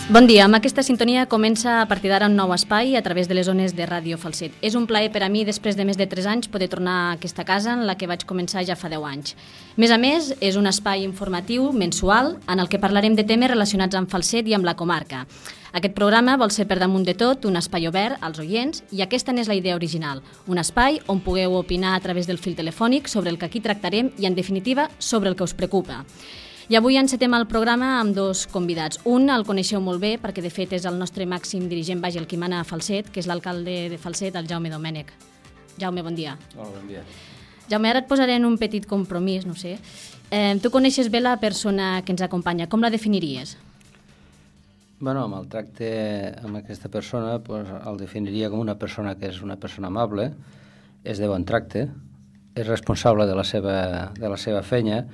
Bon dia, amb aquesta sintonia comença a partir d'ara un nou espai a través de les ones de Ràdio Falset. És un plaer per a mi, després de més de 3 anys, poder tornar a aquesta casa en la que vaig començar ja fa 10 anys. A més, és un espai informatiu mensual en el que parlarem de temes relacionats amb Falset i amb la comarca. Aquest programa vol ser per damunt de tot un espai obert als oients i aquesta n'és la idea original, un espai on pugueu opinar a través del fil telefònic sobre el que aquí tractarem i, en definitiva, sobre el que us preocupa. I avui encetem el programa amb 2 convidats. Un el coneixeu molt bé perquè de fet és el nostre màxim dirigent, el qui mana a Falset, que és l'alcalde de Falset, el Jaume Domènech. Jaume, bon dia. Hola, bon dia. Jaume, ara et posaré en un petit compromís, no sé. Tu coneixes bé la persona que ens acompanya, com la definiries? Bueno, amb el tracte amb aquesta persona el definiria com una persona que és una persona amable, és de bon tracte, és responsable de la seva feina,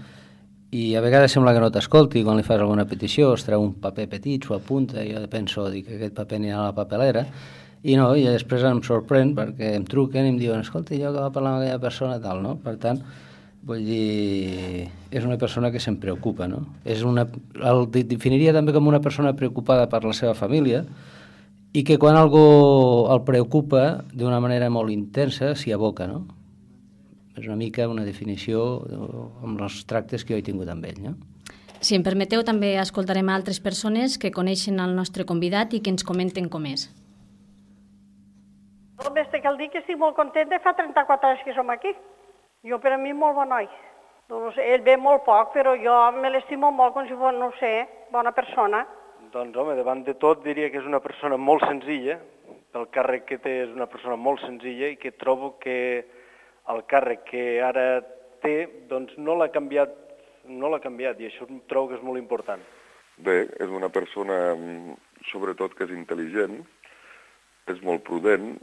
i a vegades sembla que no t'escolti quan li fas alguna petició, es treu un paper petit, s'ho apunta, i jo penso que aquest paper anirà a la papelera, i després em sorprèn perquè em truquen i em diuen, escolta, jo que va parlar amb aquella persona, tal, no? Per tant, vull dir, és una persona que se'n preocupa, no? El definiria també com una persona preocupada per la seva família i que quan algú el preocupa d'una manera molt intensa s'hi aboca, no? És una mica una definició amb els tractes que jo he tingut amb ell, no? Si em permeteu, també escoltarem altres persones que coneixen el nostre convidat i que ens comenten com és. Només te cal dir que estic molt contenta, fa 34 anys que som aquí. Jo, per a mi, molt bon noi. No sé, ell ve molt poc, però jo me l'estimo molt com si fos, no sé, bona persona. Doncs, home, davant de tot diria que és una persona molt senzilla, pel càrrec que té és una persona molt senzilla i que trobo que el càrrec que ara té, doncs no l'ha canviat i això trobo que és molt important. Bé, és una persona, sobretot, que és intel·ligent, és molt prudent,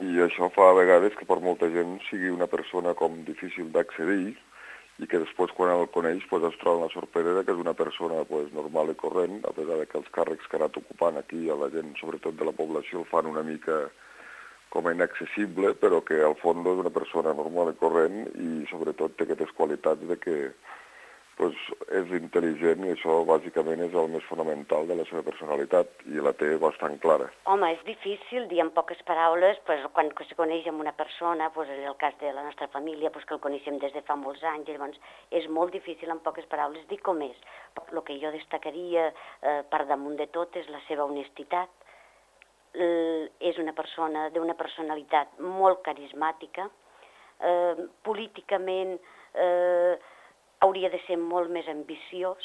i això fa a vegades que per molta gent sigui una persona com difícil d'accedir i que després, quan el coneix, es troba una sorpresa que és una persona normal i corrent, a pesar que els càrrecs que ha anat ocupant aquí a la gent, sobretot de la població, el fan una mica com a inaccessible, però que al fons és una persona normal i corrent i sobretot té aquestes qualitats de que és intel·ligent i això bàsicament és el més fonamental de la seva personalitat i la té bastant clara. Home, és difícil dir en poques paraules quan se coneix amb una persona, en el cas de la nostra família, que el coneixem des de fa molts anys, llavors és molt difícil en poques paraules dir com és. El que jo destacaria per damunt de tot és la seva honestitat. És una persona d'una personalitat molt carismàtica, políticament hauria de ser molt més ambiciós.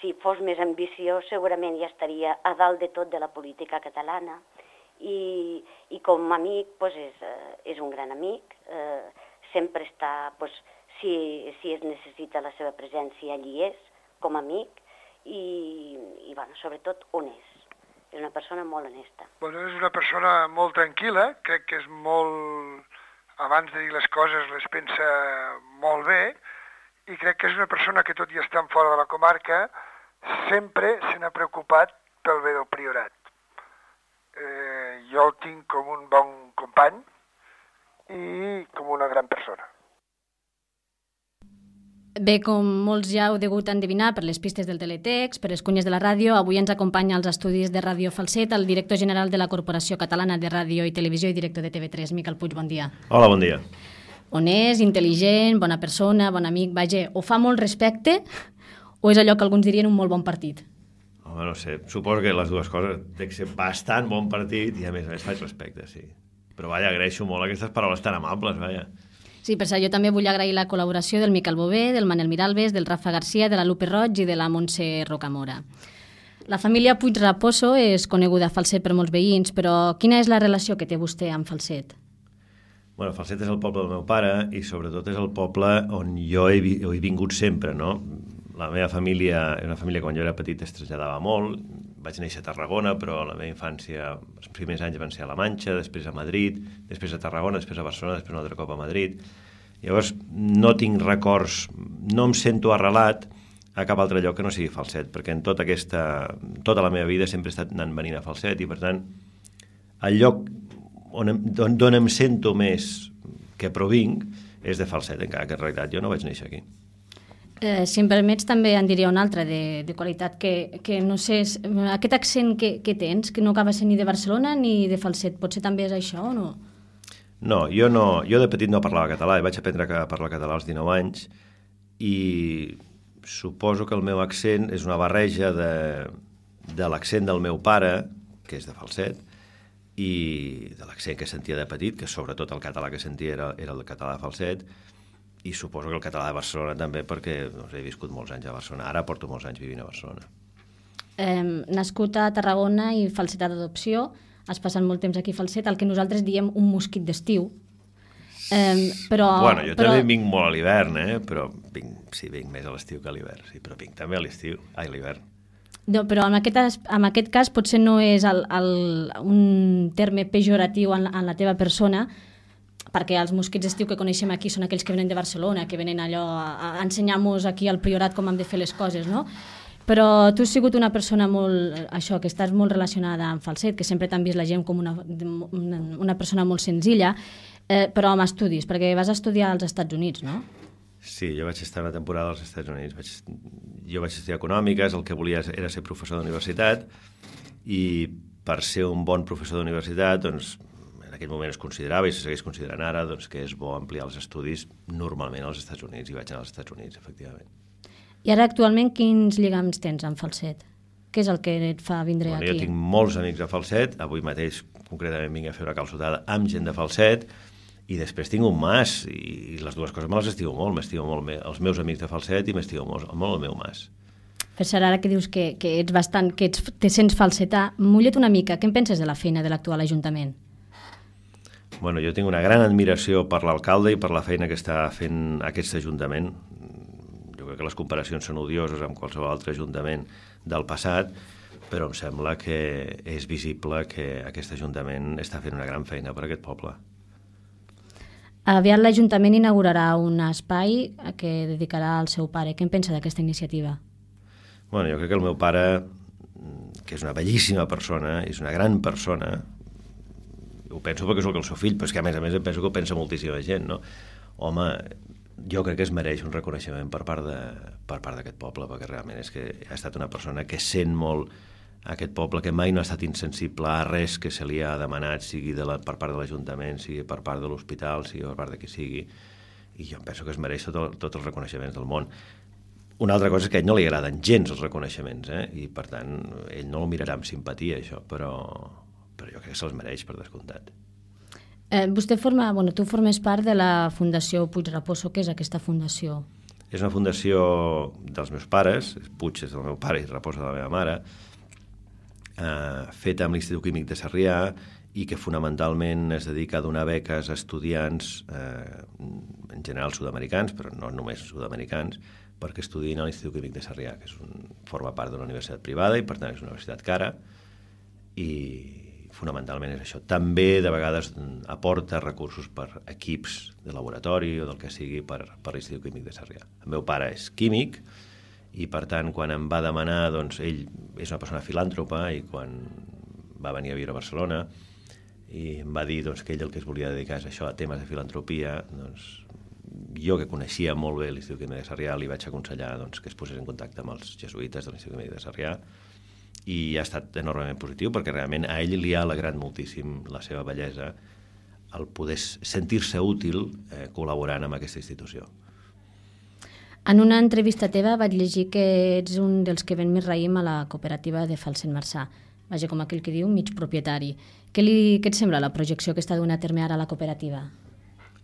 Si fos més ambiciós segurament ja estaria a dalt de tot de la política catalana i com a amic és un gran amic, sempre està, si es necessita la seva presència allí és, com a amic i sobretot honest. És una persona molt honesta. És una persona molt tranquil·la, crec que és molt... Abans de dir les coses les pensa molt bé i crec que és una persona que, tot i estar fora de la comarca, sempre se n'ha preocupat pel bé del Priorat. Jo el tinc com un bon company i com una gran persona. Bé, com molts ja heu degut endevinar per les pistes del teletext, per les cunyes de la ràdio, avui ens acompanya als estudis de Ràdio Falset el director general de la Corporació Catalana de Ràdio i Televisió i director de TV3, Miquel Puig, bon dia. Hola, bon dia. Honest, intel·ligent, bona persona, bon amic, o fa molt respecte o és allò que alguns dirien un molt bon partit? Home, no sé, suposo que les dues coses té que ser bastant bon partit i a més faig respecte, sí. Però agraeixo molt aquestes paraules tan amables, Sí, per això jo també vull agrair la col·laboració del Miquel Bové, del Manel Miralbes, del Rafa Garcia, de la Lupe Roig i de la Montse Rocamora. La família Puig Raposo és coneguda a Falset per molts veïns, però quina és la relació que té vostè amb Falset? Bueno, Falset és el poble del meu pare i sobretot és el poble on jo he vingut sempre, no? La meva família és una família que quan jo era petit es traslladava molt. Vaig néixer a Tarragona, però la meva infància, els primers anys van ser a la Manxa, després a Madrid, després a Tarragona, després a Barcelona, després un altre cop a Madrid. Llavors, no tinc records, no em sento arrelat a cap altre lloc que no sigui Falset, perquè en tota la meva vida sempre he estat anant venint a Falset i, per tant, el lloc d'on em sento més que provinc és de Falset, encara que en realitat jo no vaig néixer aquí. Si em permets, també en diria una altra de qualitat, que no sé, aquest accent que tens, que no acaba sent ni de Barcelona ni de Falset, potser també és això o no? No, jo de petit no parlava català i vaig aprendre a parlar català als 19 anys i suposo que el meu accent és una barreja de l'accent del meu pare, que és de Falset, i de l'accent que sentia de petit, que sobretot el català que sentia era el català de Falset, i suposo que el català de Barcelona també, perquè he viscut molts anys a Barcelona. Ara porto molts anys vivint a Barcelona. Nascut a Tarragona i falsetà d'adopció, has passat molt temps aquí a Falset, el que nosaltres diem un mosquit d'estiu. Bueno, jo també vinc molt a l'hivern, però vinc més a l'estiu que a l'hivern, sí, però vinc també a l'hivern. No, però en aquest cas potser no és un terme pejoratiu en la teva persona, perquè els mosquits d'estiu que coneixem aquí són aquells que venen de Barcelona, que venen allò a ensenyar-nos aquí al Priorat com hem de fer les coses, no? Però tu has sigut una persona que estàs molt relacionada amb Falset, que sempre t'han vist la gent com una persona molt senzilla, però amb estudis, perquè vas estudiar als Estats Units, no? Sí, jo vaig estar una temporada als Estats Units. Jo vaig estudiar econòmiques, el que volia era ser professor d'universitat, i per ser un bon professor d'universitat, doncs, en aquell moment es considerava, i se segueix considerant ara, doncs, que és bo ampliar els estudis normalment als Estats Units, i vaig anar als Estats Units, efectivament. I ara actualment quins lligams tens amb Falset? Què és el que et fa vindre aquí? Jo tinc molts amics a Falset, avui mateix concretament vinc a fer una calçotada amb gent de Falset, i després tinc un mas, i les dues coses me les estimo molt, els meus amics de Falset i m'estimo molt el meu mas. Per ser ara que dius que ets bastant, te sents falsetà, mulla't una mica, què en penses de la feina de l'actual Ajuntament? Bueno, jo tinc una gran admiració per l'alcalde i per la feina que està fent aquest Ajuntament. Jo crec que les comparacions són odioses amb qualsevol altre Ajuntament del passat, però em sembla que és visible que aquest Ajuntament està fent una gran feina per a aquest poble. Aviat l'Ajuntament inaugurarà un espai que dedicarà al seu pare. Què en pensa d'aquesta iniciativa? Bueno, jo crec que el meu pare, que és una bellíssima persona, és una gran persona, ho penso perquè soc el seu fill, però és que a més penso que ho pensa moltíssima gent, no? Home, jo crec que es mereix un reconeixement per part d'aquest poble, perquè realment és que ha estat una persona que sent molt aquest poble, que mai no ha estat insensible a res que se li ha demanat, sigui per part de l'Ajuntament, sigui per part de l'hospital, sigui per part de qui sigui, i jo penso que es mereix tots els reconeixements del món. Una altra cosa és que a ell no li agraden gens els reconeixements, i per tant ell no el mirarà amb simpatia, això, però jo crec que se'ls mereix, per descomptat. Tu formes part de la Fundació Puig Raposo. Què és aquesta fundació? És una fundació dels meus pares, Puig és del meu pare i Raposo de la meva mare, feta amb l'Institut Químic de Sarrià i que fonamentalment es dedica a donar beques a estudiants, en general sud-americans, però no només sud-americans, perquè estudien a l'Institut Químic de Sarrià, que forma part d'una universitat privada i per tant és una universitat cara, i fonamentalment és això. També de vegades aporta recursos per equips de laboratori o del que sigui per l'Institut Químic de Sarrià. El meu pare és químic, i per tant quan em va demanar, doncs ell és una persona filàntropa, i quan va venir a viure a Barcelona i em va dir que ell el que es volia dedicar és això, a temes de filantropia, doncs jo que coneixia molt bé l'Institut Químic de Sarrià li vaig aconsellar que es posés en contacte amb els jesuïtes de l'Institut Químic de Sarrià, i ha estat enormement positiu perquè realment a ell li ha alegrat moltíssim la seva bellesa el poder sentir-se útil col·laborant amb aquesta institució. En una entrevista teva vaig llegir que ets un dels que ven més raïm a la cooperativa de Falset Marçà. Vaja, com aquell que diu, mig propietari. Què et sembla la projecció que està donant a terme ara la cooperativa?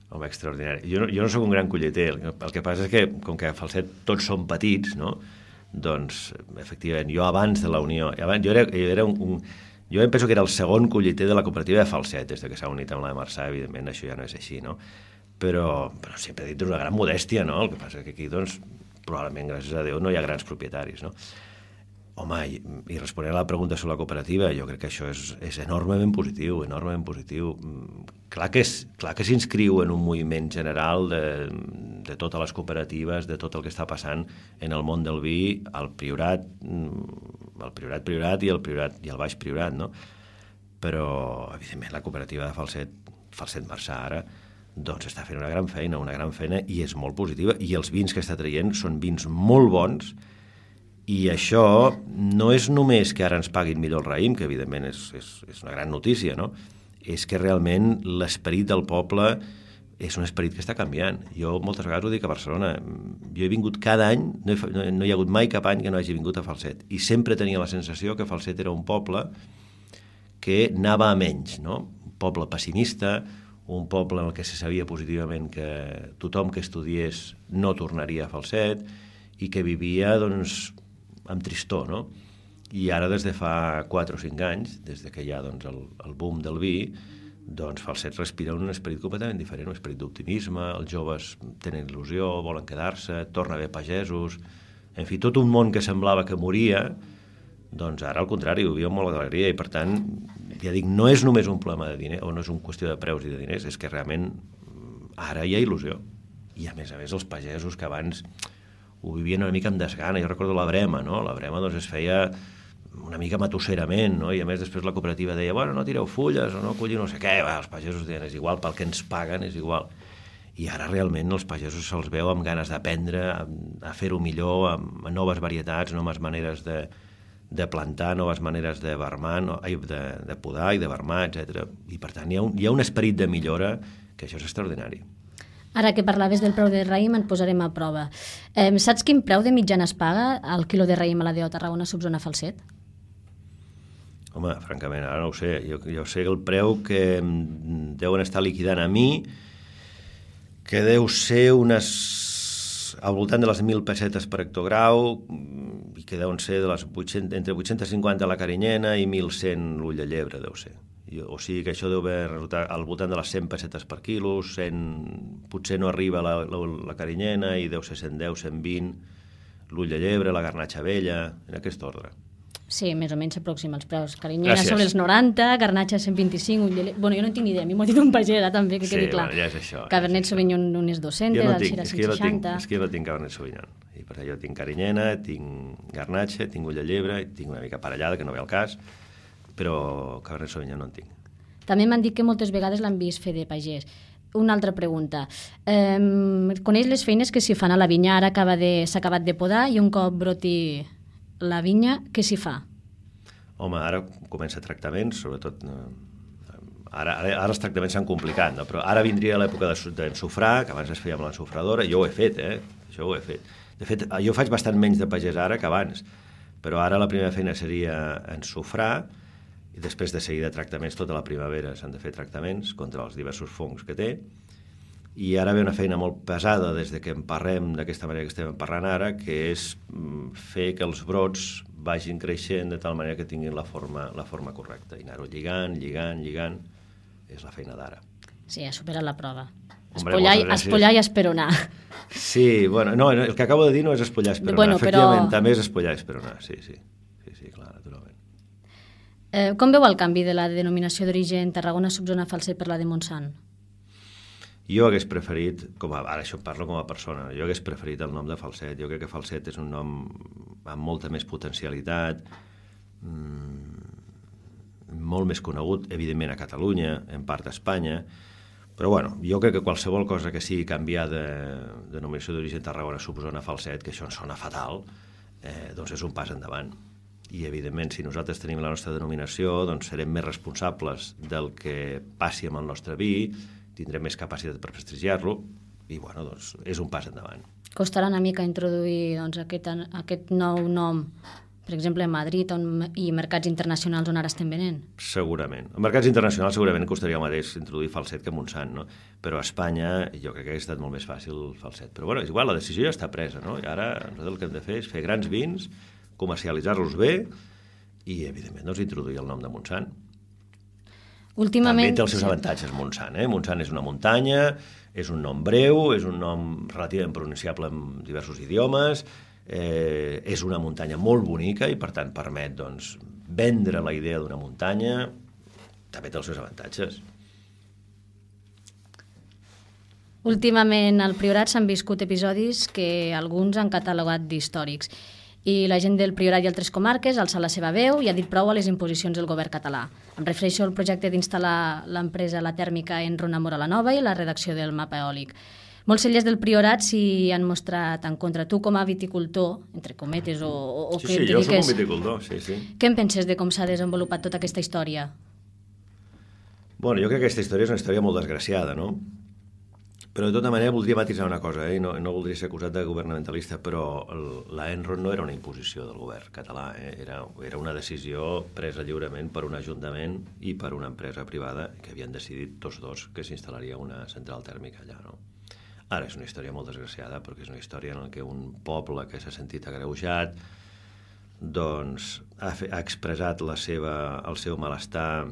Home, extraordinari. Jo no sóc un gran colleter. El que passa és que, com que a Falset tots són petits, no? Doncs, efectivament, jo abans de la Unió... Jo em penso que era el segon colleter de la cooperativa de Falset, des que s'ha unit amb la de Marçà, evidentment, això ja no és així, no? Però sempre he dit una gran modèstia, no? El que passa és que aquí, doncs, probablement, gràcies a Déu, no hi ha grans propietaris, no? Home, i responent a la pregunta sobre la cooperativa, jo crec que això és enormement positiu, enormement positiu. Clar que s'inscriu en un moviment general de totes les cooperatives, de tot el que està passant en el món del vi, el Priorat i el Baix Priorat, no? Però, evidentment, la cooperativa de Falset Marçà ara, doncs està fent una gran feina i és molt positiva, i els vins que està traient són vins molt bons, i això no és només que ara ens paguin millor el raïm, que evidentment és una gran notícia, no? És que realment l'esperit del poble és un esperit que està canviant. Jo moltes vegades ho dic a Barcelona, jo he vingut cada any, no hi ha hagut mai cap any que no hagi vingut a Falset, i sempre tenia la sensació que Falset era un poble que anava a menys, no? Un poble pessimista, un poble en el que se sabia positivament que tothom que estudiés no tornaria a Falset i que vivia, doncs, amb tristor, no? I ara, des de fa 4 o 5 anys, des que hi ha doncs, el boom del vi, doncs Falset respira un esperit completament diferent, un esperit d'optimisme, els joves tenen il·lusió, volen quedar-se, torna a haver pagesos, en fi, tot un món que semblava que moria, doncs ara al contrari, ho viu amb molta alegria, i per tant, ja dic, no és només un problema de diner, o no és una qüestió de preus i de diners, és que realment ara hi ha il·lusió. I a més, els pagesos que abans ho vivien una mica amb desgana. Jo recordo la brema, no? La brema doncs, es feia una mica matusserament, no? I a més després la cooperativa deia, bueno, no tireu fulles o no colliu no sé què, els pagesos deien, és igual, pel que ens paguen és igual. I ara realment els pagesos se'ls veu amb ganes d'aprendre, a fer-ho millor, amb noves varietats, noves maneres de plantar, noves maneres de vermar, de podar i de vermar, etc. I per tant hi ha un esperit de millora que això és extraordinari. Ara que parlaves del preu de raïm, en posarem a prova. Saps quin preu de mitjana es paga el quilo de raïm a la DO Tarragona subzona Falset? Home, francament, ara no ho sé. Jo sé el preu que deuen estar liquidant a mi, que deu ser al voltant de les 1.000 pessetes per hectograu, i que deuen ser entre 850 la carinyena i 1.100 l'ull de llebre, deu ser. O sigui que això deu haver resultat al voltant de les 100 pessetes per quilo, potser no arriba la carinyena i deu ser 110, 120 l'ull de llebre, la garnatxa vella, en aquest ordre. Sí, més o menys s'aproxima els preus. Carinyena sobre els 90, garnatxa 125, ull de llebre... Bueno, jo no en tinc ni idea, a mi m'ho ha dit un pagès, també, que quedi clar. Sí, ja és això. Cabernet Sauvignon unes 200, el Syrah 160... És que jo no tinc Cabernet Sauvignon. I per això tinc carinyena, tinc garnatxa, tinc ull de llebre, tinc una mica parellada, que no ve al cas, però Cabernet Sauvignon no en tinc. També m'han dit que moltes vegades l'han vist fer de pagès. Una altra pregunta. Coneix les feines que s'hi fan a la vinya? Ara s'ha acabat de podar i un cop broti la vinya, què s'hi fa? Home, ara comença tractaments, sobretot... Ara els tractaments s'han complicat, no? Però ara vindria l'època d'ensofrar, que abans es feia amb l'ensofradora. Jo ho he fet, Això ho he fet. De fet, jo faig bastant menys de pagès ara que abans, però ara la primera feina seria ensofrar, i després de seguida tractaments, tota la primavera s'han de fer tractaments contra els diversos fongs que té, i ara ve una feina molt pesada des de que emparrem d'aquesta manera que estem emparrant ara, que és fer que els brots vagin creixent de tal manera que tinguin la forma correcta, i anar-ho lligant, és la feina d'ara. Sí, ha superat la prova. Espollar i esperonar. Sí, bueno, no, el que acabo de dir no és espollar i esperonar, bueno, efectivament, també és espollar i esperonar, sí, clar, naturalment. Com veu el canvi de la denominació d'origen Tarragona subzona Falset per la de Montsant? Jo hagués preferit, ara això parlo com a persona, jo hagués preferit el nom de Falset. Jo crec que Falset és un nom amb molta més potencialitat, molt més conegut, evidentment a Catalunya, en part a Espanya, però bueno, jo crec que qualsevol cosa que sigui canviar de denominació d'origen Tarragona subzona Falset, que això ens sona fatal, doncs és un pas endavant. I evidentment, si nosaltres tenim la nostra denominació, doncs serem més responsables del que passi amb el nostre vi, tindrem més capacitat per prestigiar-lo, i bueno, doncs és un pas endavant. Costarà una mica introduir doncs, aquest nou nom, per exemple, a Madrid i mercats internacionals on ara estem venent? Segurament. En mercats internacionals segurament costaria el mateix introduir Falset que Montsant, no? Però a Espanya jo crec que hauria estat molt més fàcil Falset. Però bueno, és igual, la decisió ja està presa, no? I ara nosaltres el que hem de fer és fer grans vins, comercialitzar-los bé i, evidentment, doncs, introduir el nom de Montsant. Últimament... També té els seus avantatges, Montsant. Montsant és una muntanya, és un nom breu, és un nom relativament pronunciable en diversos idiomes, és una muntanya molt bonica i, per tant, permet doncs, vendre la idea d'una muntanya, també té els seus avantatges. Últimament al Priorat s'han viscut episodis que alguns han catalogat d'històrics. I la gent del Priorat i altres comarques ha alçat la seva veu i ha dit prou a les imposicions del govern català. Em refereixo al projecte d'instal·lar l'empresa La Tèrmica Enron a Móra la Nova i la redacció del mapa eòlic. Molts cellers del Priorat s'hi han mostrat en contra. Tu, com a viticultor, entre cometes, o sí, jo soc un viticultor, sí. Què en penses de com s'ha desenvolupat tota aquesta història? Bueno, jo crec que aquesta història és una història molt desgraciada, no? Però de tota manera voldria matisar una cosa, i no voldria ser acusat de governamentalista, però la Enron no era una imposició del govern català, era una decisió presa lliurement per un ajuntament i per una empresa privada que havien decidit tots dos que s'instal·laria una central tèrmica allà, no? Ara és una història molt desgraciada perquè és una història en què un poble que s'ha sentit agreujat doncs ha expressat el seu malestar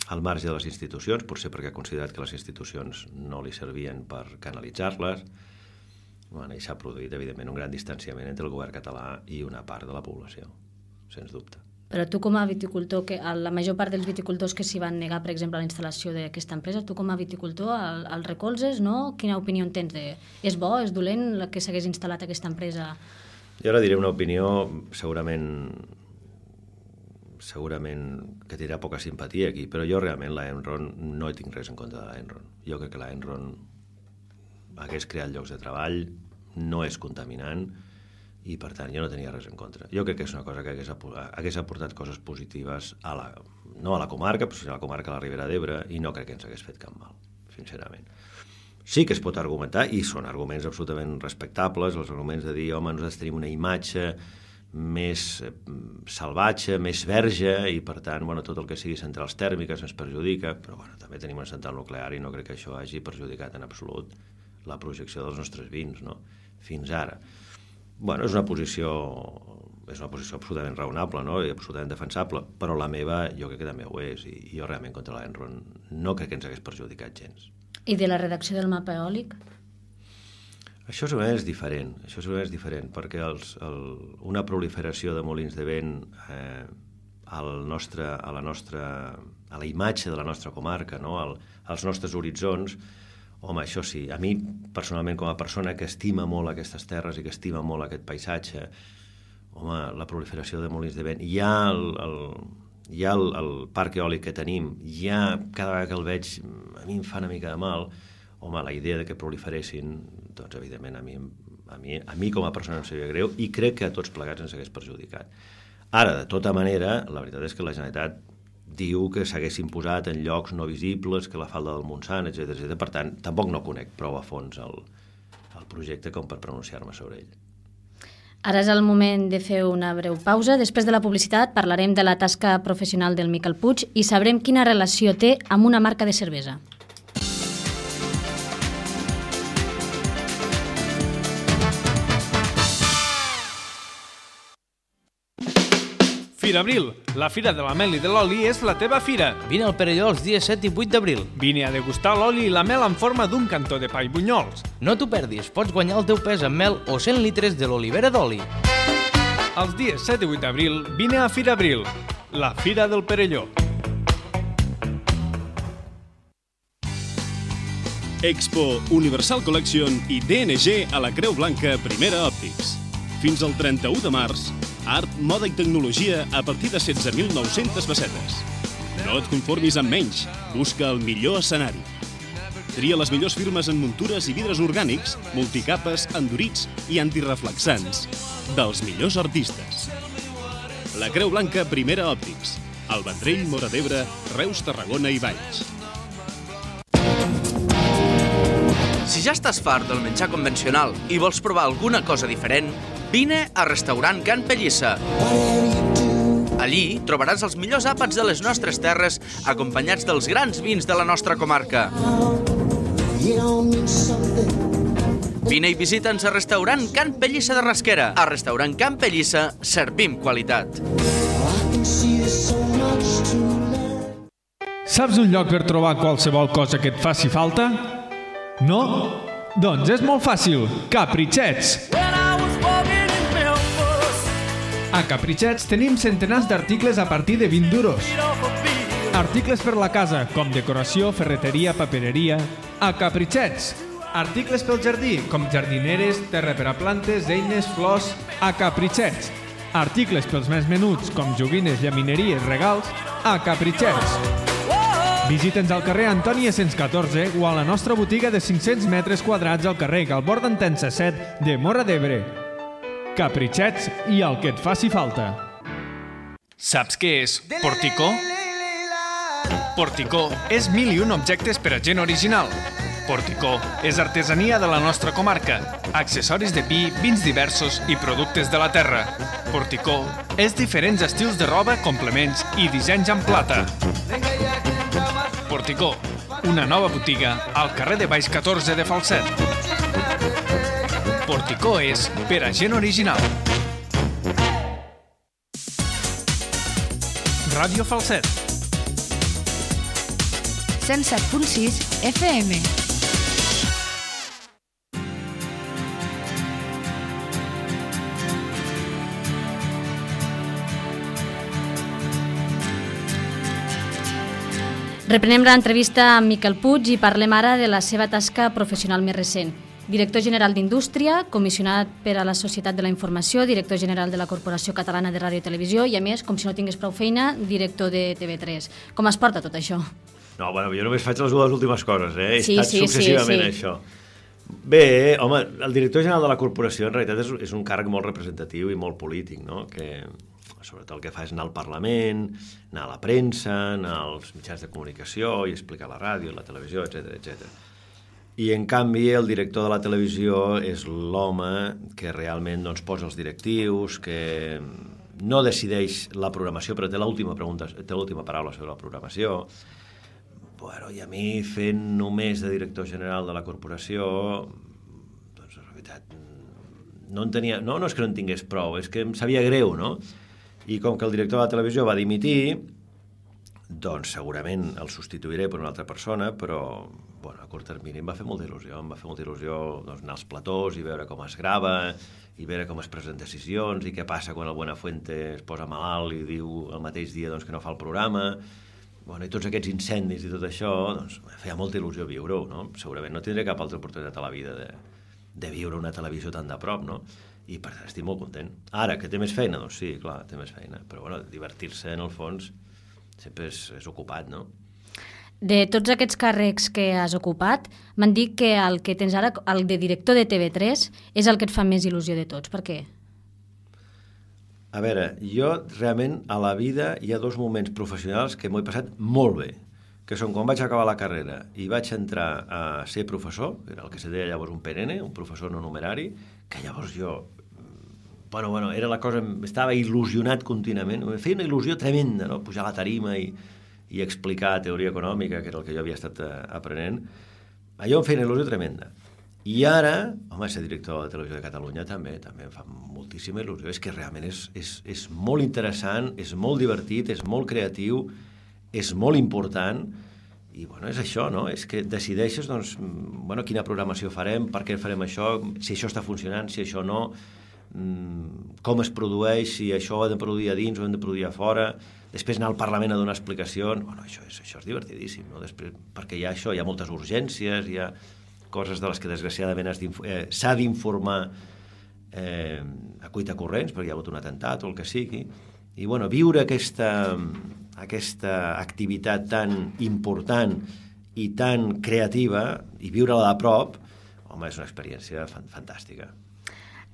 al marge de les institucions, potser perquè ha considerat que les institucions no li servien per canalitzar-les, i s'ha produït, evidentment, un gran distanciament entre el govern català i una part de la població, sens dubte. Però tu, com a viticultor, la major part dels viticultors que s'hi van negar, per exemple, a la instal·lació d'aquesta empresa, tu com a viticultor el recolzes, no? Quina opinió en tens? És bo, és dolent que s'hagués instal·lat aquesta empresa? Jo ara diré una opinió segurament que tindrà poca simpatia aquí, però jo realment l'Enron no hi tinc res en contra de l'Enron. Jo crec que l'Enron hagués creat llocs de treball, no és contaminant i per tant jo no tenia res en contra. Jo crec que és una cosa que hagués aportat coses positives no a la comarca, però a la comarca de la Ribera d'Ebre, i no crec que ens hagués fet cap mal, sincerament. Sí que es pot argumentar, i són arguments absolutament respectables, els arguments de dir, home, nosaltres tenim una imatge més salvatge, més verge, i per tant, tot el que sigui centrals tèrmiques ens perjudica, però també tenim una central nuclear i no crec que això hagi perjudicat en absolut la projecció dels nostres vins, no? Fins ara. És una posició absolutament raonable, no? I absolutament defensable, però la meva jo crec que també ho és, i jo realment contra l'Enron no crec que ens hagués perjudicat gens. I de la redacció del mapa eòlic? Això segurament és diferent, perquè una proliferació de molins de vent a la imatge de la nostra comarca, no? Als nostres horitzons, home, això sí, a mi personalment com a persona que estima molt aquestes terres i que estima molt aquest paisatge, home, la proliferació de molins de vent, ja el parc eòlic que tenim, ja cada vegada que el veig a mi em fa una mica de mal. Home, la idea de que proliferessin, doncs, evidentment, a mi com a persona em sabia greu i crec que a tots plegats ens hagués perjudicat. Ara, de tota manera, la veritat és que la Generalitat diu que s'haguessin posat en llocs no visibles, que la falda del Montsant, etc. Per tant, tampoc no conec prou a fons el projecte com per pronunciar-me sobre ell. Ara és el moment de fer una breu pausa. Després de la publicitat parlarem de la tasca professional del Miquel Puig i sabrem quina relació té amb una marca de cervesa. Fira Abril, la fira de la mel i de l'oli és la teva fira. Vine al Perelló els dies 7 i 8 d'abril. Vine a degustar l'oli i la mel en forma d'un cantó de pa i bunyols. No t'ho perdis, pots guanyar el teu pes amb mel o 100 litres de l'olivera d'oli. Els dies 7 i 8 d'abril, vine a Fira Abril, la fira del Perelló. Expo, Universal Collection i DNG a la Creu Blanca Primera Òptics. Fins al 31 de març, art, moda i tecnologia a partir de 16.900 pessetes. No et conformis amb menys, busca el millor escenari. Tria les millors firmes en muntures i vidres orgànics, multicapes, endurits i antireflexants, dels millors artistes. La Creu Blanca Primera Òptics, al Vendrell, Móra d'Ebre, Reus, Tarragona i Valls. Si ja estàs fart del menjar convencional i vols provar alguna cosa diferent, vine a Restaurant Can Pellissa. Allí trobaràs els millors àpats de les nostres terres acompanyats dels grans vins de la nostra comarca. Vine i visita'ns a Restaurant Can Pellissa de Rasquera. A Restaurant Can Pellissa servim qualitat. Saps un lloc per trobar qualsevol cosa que et faci falta? No? Doncs és molt fàcil. Capritxets! A Capritxets tenim centenars d'articles a partir de 20 duros. Articles per la casa, com decoració, ferreteria, papereria. A Capritxets! Articles pel jardí, com jardineres, terra per a plantes, eines, flors, a Capritxets. Articles pels més menuts, com joguines, llamineries, regals, a Capritxets. Visita'ns al carrer Antònia 114 o a la nostra botiga de 500 metres quadrats al carrer Galbor d'Entença 7 de Móra d'Ebre. Capritxets i el que et faci falta. Saps què és Porticó? Porticó és 1001 objectes per a gent original. Porticó és artesania de la nostra comarca, accessoris de pi, vins diversos i productes de la terra. Porticó és diferents estils de roba, complements i dissenys en plata. Porticó, una nova botiga al carrer de Baix 14 de Falset. Porticó és per a gent original. Ràdio Falset. 107.6 FM. Reprenem l'entrevista amb Miquel Puig i parlem ara de la seva tasca professional més recent. Director general d'Indústria, comissionat per a la Societat de la Informació, director general de la Corporació Catalana de Ràdio i Televisió i, a més, com si no tingués prou feina, director de TV3. Com es porta tot això? No, bueno, jo només faig les dues últimes coses, He estat sí, successivament això. Bé, home, el director general de la corporació en realitat és un càrrec molt representatiu i molt polític, no? Que sobretot el que fa és anar al Parlament, anar a la premsa, anar als mitjans de comunicació i explicar la ràdio, la televisió, etc. I, en canvi, el director de la televisió és l'home que realment doncs, posa els directius, que no decideix la programació, però té l'última paraula sobre la programació. Bueno, i a mi, fent només de director general de la corporació, doncs, en realitat, no és que no en tingués prou, és que em sabia greu, no? I com que el director de la televisió va dimitir, doncs segurament el substituiré per una altra persona, però bueno, a curt termini em va fer molta il·lusió. Em va fer molta il·lusió doncs, anar als platós i veure com es grava, i veure com es presen decisions, i què passa quan el Buenafuente es posa malalt i diu el mateix dia doncs, que no fa el programa. Bueno, i tots aquests incendis i tot això, doncs, em feia molta il·lusió viure-ho, no? Segurament no tindré cap altra oportunitat a la vida de viure una televisió tan de prop, no? I per tant estic molt content. Ara, que té més feina? Doncs sí, clar, té més feina. Però bueno, divertir-se en el fons sempre és ocupat, no? De tots aquests càrrecs que has ocupat, m'han dit que el que tens ara, el de director de TV3, és el que et fa més il·lusió de tots. Per què? A veure, jo realment a la vida hi ha dos moments professionals que m'ho he passat molt bé, que són quan vaig acabar la carrera i vaig entrar a ser professor, que era el que se deia llavors un PNN, un professor no numerari, que llavors jo, bueno, era la cosa, estava il·lusionat contínuament, em feia una il·lusió tremenda, no? Pujar a la tarima i explicar teoria econòmica, que era el que jo havia estat aprenent, allò em feia una il·lusió tremenda. I ara, home, ser director de Televisió de Catalunya també em fa moltíssima il·lusió, és que realment és molt interessant, és molt divertit, és molt creatiu, és molt important, i bueno, és això, no? És que decideixes, doncs, bueno, quina programació farem, per què farem això, si això està funcionant, si això no, com es produeix, si això ho hem de produir a dins o hem de produir a fora, després anar al Parlament a donar explicacions, bueno, això és divertidíssim, no? Després, perquè hi ha això, hi ha moltes urgències, hi ha coses de les que desgraciadament s'ha d'informar a cuitacorrents, perquè hi ha hagut un atemptat o el que sigui, i bueno, viure aquesta activitat tan important i tan creativa i viure-la de prop, home, és una experiència fantàstica.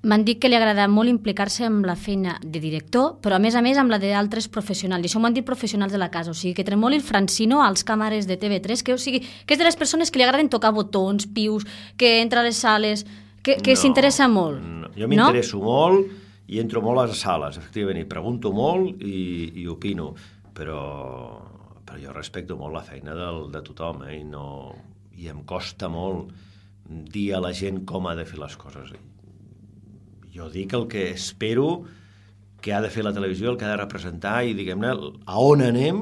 M'han dit que li agrada molt implicar-se amb la feina de director, però a més amb la d'altres professionals. I això m'ho han dit professionals de la casa. O sigui, que tremoli el Francino als càmeres de TV3, que és de les persones que li agraden tocar botons, pius, que entra a les sales, que s'interessa molt. No, jo m'interesso molt i entro molt a les sales, efectivament, i pregunto molt i opino, però jo respecto molt la feina de tothom, i em costa molt dir a la gent com ha de fer les coses. Jo dic el que espero que ha de fer la televisió, el que ha de representar i, diguem-ne, a on anem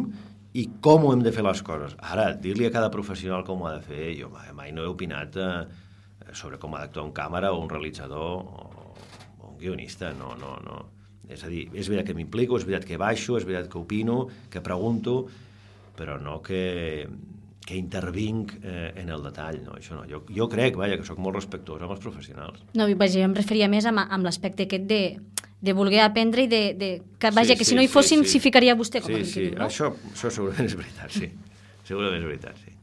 i com ho hem de fer les coses. Ara, dir-li a cada professional com ho ha de fer, jo mai no he opinat sobre com ha d'actuar un càmera o un realitzador o un guionista, no. És a dir, és veritat que m'implico, és veritat que baixo, és veritat que opino, que pregunto, però no que intervinc en el detall, no, això no. Jo crec, que soc molt respectuós amb els professionals. No, vaja, jo em referia més amb l'aspecte aquest de voler aprendre i que si no hi fossin s'hi ficaria vostè. Sí, això segurament és veritat, sí. Segurament és veritat, sí.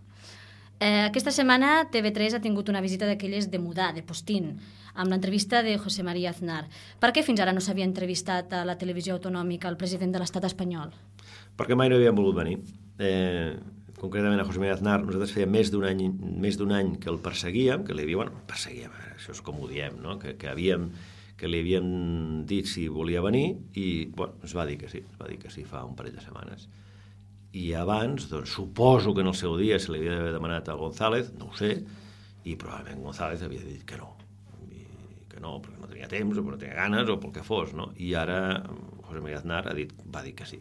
Aquesta setmana TV3 ha tingut una visita d'aquelles de mudar, de postín, amb l'entrevista de José María Aznar. Per què fins ara no s'havia entrevistat a la televisió autonòmica el president de l'estat espanyol? Perquè mai no havien volgut venir. Concretament a José María Aznar, nosaltres feia més d'un any que el perseguíem, perseguíem, això és com ho diem, no? que li havíem dit si volia venir i ens va dir que sí fa un parell de setmanes. I abans, doncs, suposo que en el seu dia se li havia d'haver demanat a González, no ho sé, i probablement González havia dit que no, perquè no tenia temps o perquè no tenia ganes o pel que fos, no? I ara José María Aznar va dir que sí.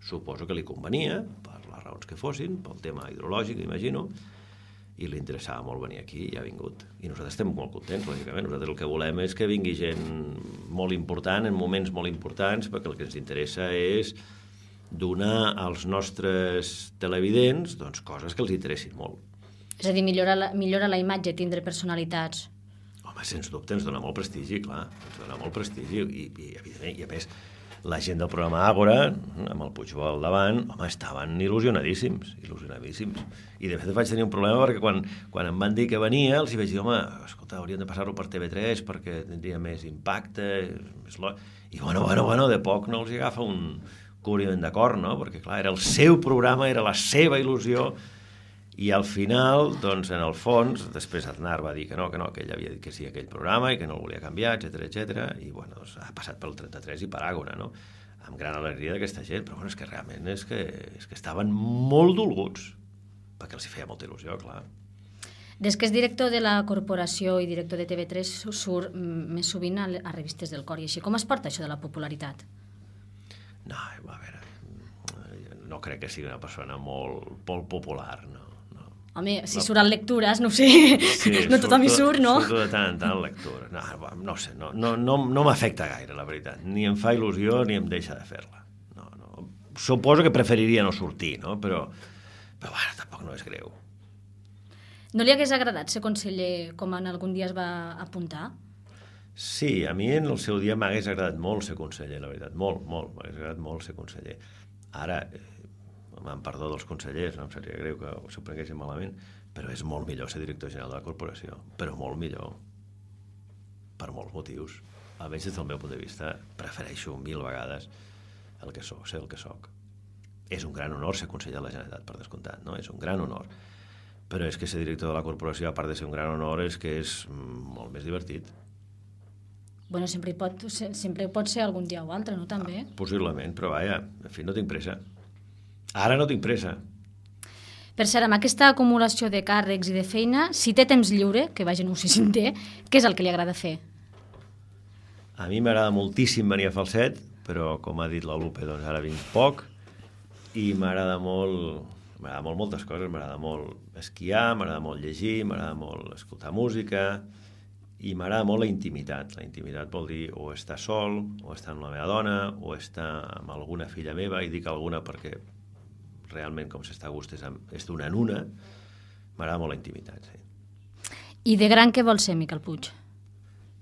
Suposo que li convenia, per les raons que fossin, pel tema hidrològic, imagino, i li interessava molt venir aquí i ha vingut. I nosaltres estem molt contents, lògicament. Nosaltres el que volem és que vingui gent molt important, en moments molt importants, perquè el que ens interessa és donar als nostres televidents coses que els interessin molt. És a dir, millora la imatge, tindre personalitats. Home, sens dubte, ens dona molt prestigi, clar. Ens dona molt prestigi i evidentment, i a més, la gent del programa Àgora, amb el Puigbo al davant, home, estaven il·lusionadíssims. I de fet vaig tenir un problema perquè quan em van dir que venia, els hi vaig dir, home, escolta, hauríem de passar-ho per TV3 perquè tindria més impacte, i bueno, de poc no els hi agafa un cobriment d'acord, no? Perquè, clar, era el seu programa, era la seva il·lusió, i al final, doncs, en el fons, després Aznar va dir que no, que ell havia dit que sí a aquell programa i que no el volia canviar, etc. I, bueno, doncs, ha passat pel 33 i per Àgora, no? Amb gran alegria d'aquesta gent, però, bueno, és que realment és que estaven molt dolguts, perquè els hi feia molta il·lusió, clar. Des que és director de la corporació i director de TV3 surt més sovint a revistes del cor, i així com es porta això de la popularitat? No, a veure, no crec que sigui una persona molt popular, no. Home, si surt en lectures, no sé, no tothom hi surt, no? Surto de tant en tant en lectures. No sé, no m'afecta gaire, la veritat. Ni em fa il·lusió ni em deixa de fer-la. No. Suposo que preferiria no sortir, no? Però bueno, tampoc no és greu. No li hagués agradat ser conseller com en algun dia es va apuntar? Sí, a mi en el seu dia m'hagués agradat molt ser conseller, la veritat. Molt, m'hagués agradat molt ser conseller. Ara, amb perdó dels consellers, no em seria greu que s'ho prenguessin malament, però és molt millor ser director general de la corporació, però molt millor, per molts motius. Almenys des del meu punt de vista, prefereixo 1000 vegades el que soc, ser el que soc. És un gran honor ser conseller de la Generalitat, per descomptat, no? És un gran honor. Però és que ser director de la corporació, a part de ser un gran honor, és que és molt més divertit. Bueno, sempre pot ser algun dia o altre, no, també? Possiblement, però vaja, en fi, no tinc pressa. Ara no tinc pressa. Per cert, amb aquesta acumulació de càrrecs i de feina, si té temps lliure, que vaja, no sé si en té, què és el que li agrada fer? A mi m'agrada moltíssim venir a Falset, però, com ha dit la Lupe, doncs ara vinc poc, i m'agrada molt moltes coses, m'agrada molt esquiar, m'agrada molt llegir, m'agrada molt escoltar música, i m'agrada molt la intimitat. La intimitat vol dir o estar sol, o estar amb la meva dona, o estar amb alguna filla meva, i dic alguna perquè realment com s'està a gust és d'una en una. M'agrada molt la intimitat, sí. I de gran què vol ser, Miquel Puig?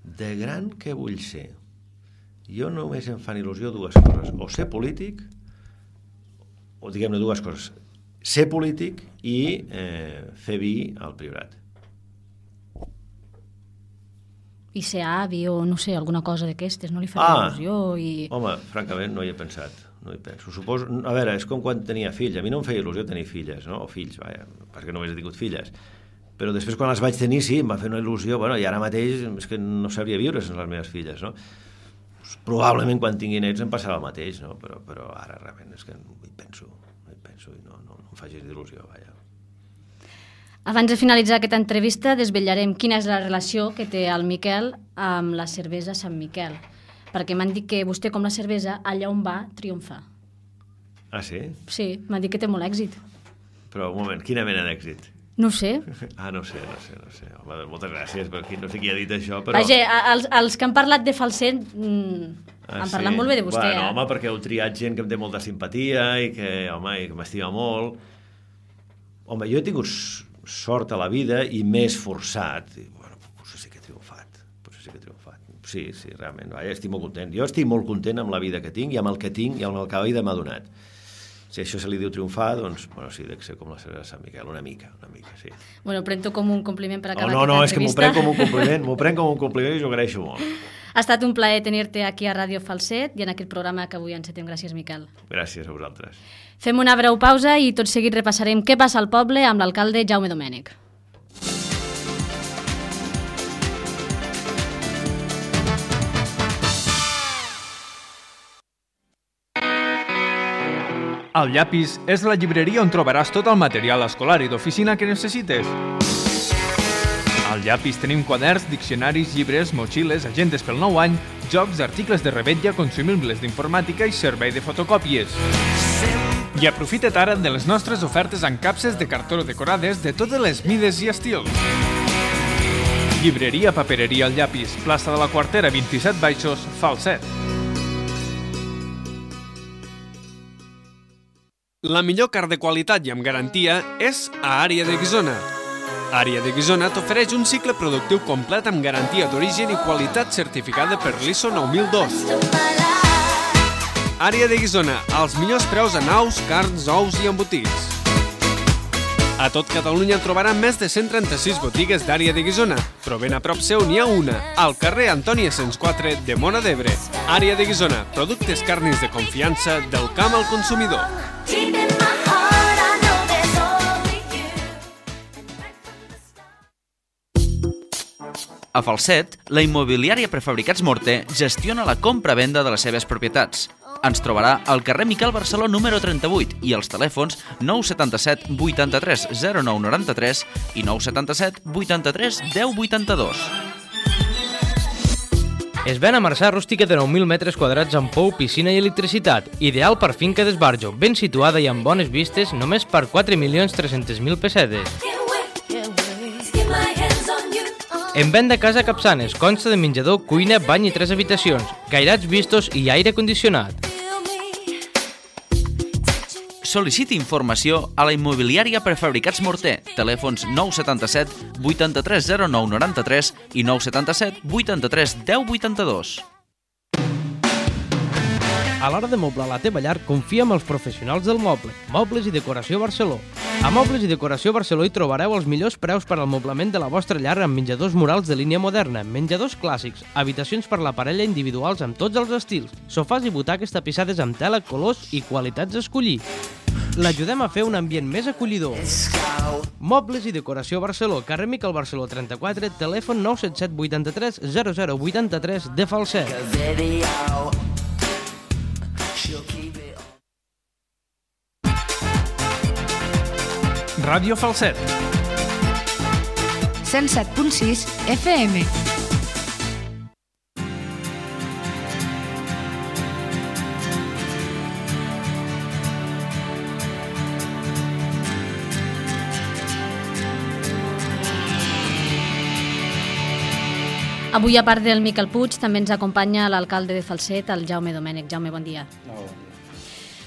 De gran què vull ser? Jo només em fan il·lusió dues coses, o ser polític, o diguem-ne dues coses, ser polític i fer vi al Priorat. I ser avi o, no sé, alguna cosa d'aquestes, no li faria il·lusió? Home, francament no hi he pensat. No hi penso. Suposo, a veure, és com quan tenia fills. A mi no em feia il·lusió tenir filles, no? O fills, vaja, perquè només he tingut filles. Però després, quan les vaig tenir, sí, em va fer una il·lusió. Bueno, i ara mateix és que no sabria viure sense les meves filles, no? Probablement quan tingui nets em passarà el mateix, no? Però ara realment és que no hi penso i no em facis d'il·lusió, vaja. Abans de finalitzar aquesta entrevista, desvetllarem quina és la relació que té el Miquel amb la cervesa Sant Miquel. Perquè m'han dit que vostè, com la cervesa, allà on va, triomfa. Ah, sí? Sí, m'han dit que té molt èxit. Però, un moment, quina mena d'èxit? No sé. No sé. Home, moltes gràcies, perquè no sé qui ha dit això, però... Vaja, els que han parlat de Falset han parlat molt bé de vostè. Bueno, home, perquè heu triat gent que em té molta simpatia i que m'estima molt. Home, jo he tingut sort a la vida i m'he esforçat. I, bueno, potser sí que he triomfat. Sí, realment. Estic molt content. Jo estic molt content amb la vida que tinc i amb el que tinc i amb el que la vida m'ha donat. Si això se li diu triomfar, doncs, bueno, sí, dec ser com la Senyora Sant Miquel, una mica, sí. Bueno, prenc-ho com un compliment per acabar aquesta entrevista. És que m'ho prenc com un compliment i jo agraeixo molt. Ha estat un plaer tenir-te aquí a Ràdio Falset i en aquest programa que avui encetem. Gràcies, Miquel. Gràcies a vosaltres. Fem una breu pausa i tot seguit repassarem què passa al poble amb l'alcalde Jaume Domènech. El Llapis és la llibreria on trobaràs tot el material escolar i d'oficina que necessites. Al Llapis tenim quaderns, diccionaris, llibres, motxilles, agendes pel nou any, jocs, articles de rebetlla, consumibles d'informàtica i servei de fotocòpies. I aprofita't ara de les nostres ofertes en capses de cartó decorades de totes les mides i estils. Llibreria Papereria al Llapis, plaça de la Quartera 27 Baixos, Falset. La millor carn de qualitat i amb garantia és a Àrea de Guisona. Àrea de Guisona t'ofereix un cicle productiu complet amb garantia d'origen i qualitat certificada per l'ISO 9002. Àrea de Guisona, els millors preus en aus, carns, ous i embotits. A tot Catalunya trobarà més de 136 botigues d'Àrea de Guisona, però ben a prop seu n'hi ha una, al carrer Antoni Asens 4 de Móra d'Ebre. Àrea de Guisona, productes carnis de confiança del camp al consumidor. A Falset, la immobiliària Prefabricats Morter gestiona la compra-venda de les seves propietats. Ens trobarà al carrer Miquel Barceló número 38 i als telèfons 977 83 0993 i 977 83 1082. Es ven a Marçà rústica de 9.000 metres quadrats amb pou, piscina i electricitat, ideal per finca d'esbarjo, ben situada i amb bones vistes, només per 4.300.000 pessetes. En venda casa Capçanes, consta de menjador, cuina, bany i 3 habitacions, cairats vistos i aire condicionat. Sol·liciti informació a la immobiliària Prefabricats Morter, telèfons 977 83 0993 i 977 83 1082. A l'hora de moblar la teva llar, confia en els professionals del moble. Mobles i Decoració Barceló. A Mobles i Decoració Barceló hi trobareu els millors preus per al moblament de la vostra llar amb menjadors murals de línia moderna, menjadors clàssics, habitacions per la parella individuals amb tots els estils, sofàs i butaques tapissades amb tela, colors i qualitats a escollir. L'ajudem a fer un ambient més acollidor. Mobles i Decoració Barceló, carrer Miquel Barceló 34, telèfon 977 83 0083 de Falset. Ràdio Falset. 107.6 FM. Avui, a part del Miquel Puig, també ens acompanya l'alcalde de Falset, el Jaume Domènech. Jaume, bon dia. Bon dia.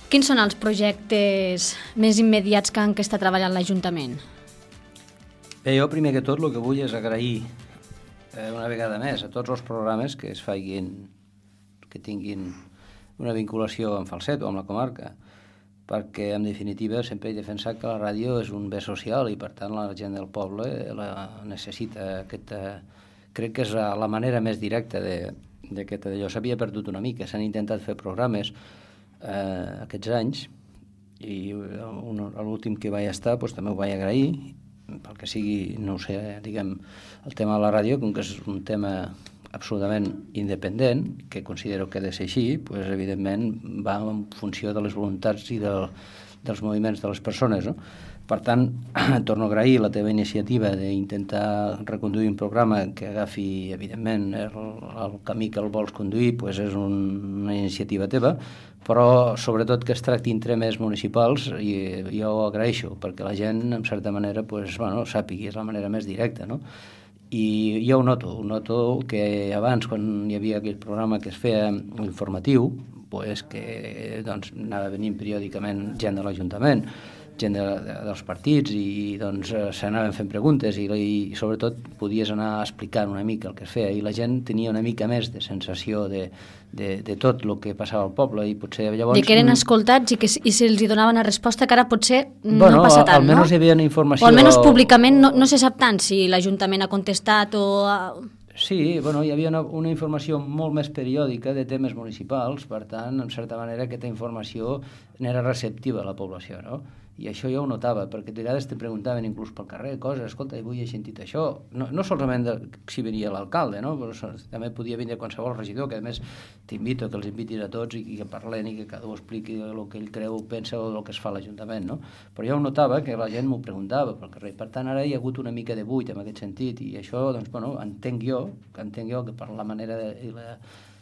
Quins són els projectes més immediats que està treballant l'Ajuntament? Bé, jo primer que tot el que vull és agrair una vegada més a tots els programes que es facin, que tinguin una vinculació amb Falset o amb la comarca, perquè en definitiva sempre he defensat que la ràdio és un bé social i per tant la gent del poble la necessita. Crec que és la manera més directa que allò s'havia perdut una mica. S'han intentat fer programes aquests anys i l'últim que vaig estar també ho vaig agrair, pel que sigui, no ho sé, diguem, el tema de la ràdio, com que és un tema absolutament independent, que considero que ha de ser així, evidentment va en funció de les voluntats i dels moviments de les persones, no? Per tant, torno a agrair la teva iniciativa d'intentar reconduir un programa que agafi, evidentment, el camí que el vols conduir, és una iniciativa teva, però sobretot que es tractin temes municipals i jo ho agraeixo, perquè la gent, en certa manera, sàpigui, és la manera més directa, no? I jo ho noto que abans, quan hi havia aquell programa que es feia informatiu, que anava venint periòdicament gent de l'Ajuntament, gent dels partits i doncs s'anaven fent preguntes i sobretot podies anar explicant una mica el que es feia i la gent tenia una mica més de sensació de tot el que passava al poble i potser llavors... De que eren escoltats i se'ls donaven una resposta que ara potser no passa tant, no? Almenys hi havia informació... O almenys públicament no se sap tant si l'Ajuntament ha contestat o... Sí, hi havia una informació molt més periòdica de temes municipals, per tant, en certa manera, aquesta informació n'era receptiva a la població, no? I això jo ho notava, perquè de vegades te preguntaven inclús pel carrer coses, escolta, avui he sentit això, no solament si venia l'alcalde, no? Però també podia vindre qualsevol regidor, que a més t'invito que els invitis a tots i que parlen i que cada un expliqui el que ell creu, pensa o el que es fa a l'Ajuntament, no? Però jo ho notava que la gent m'ho preguntava pel carrer, per tant ara hi ha hagut una mica de buit en aquest sentit i això, doncs, entenc jo que per la manera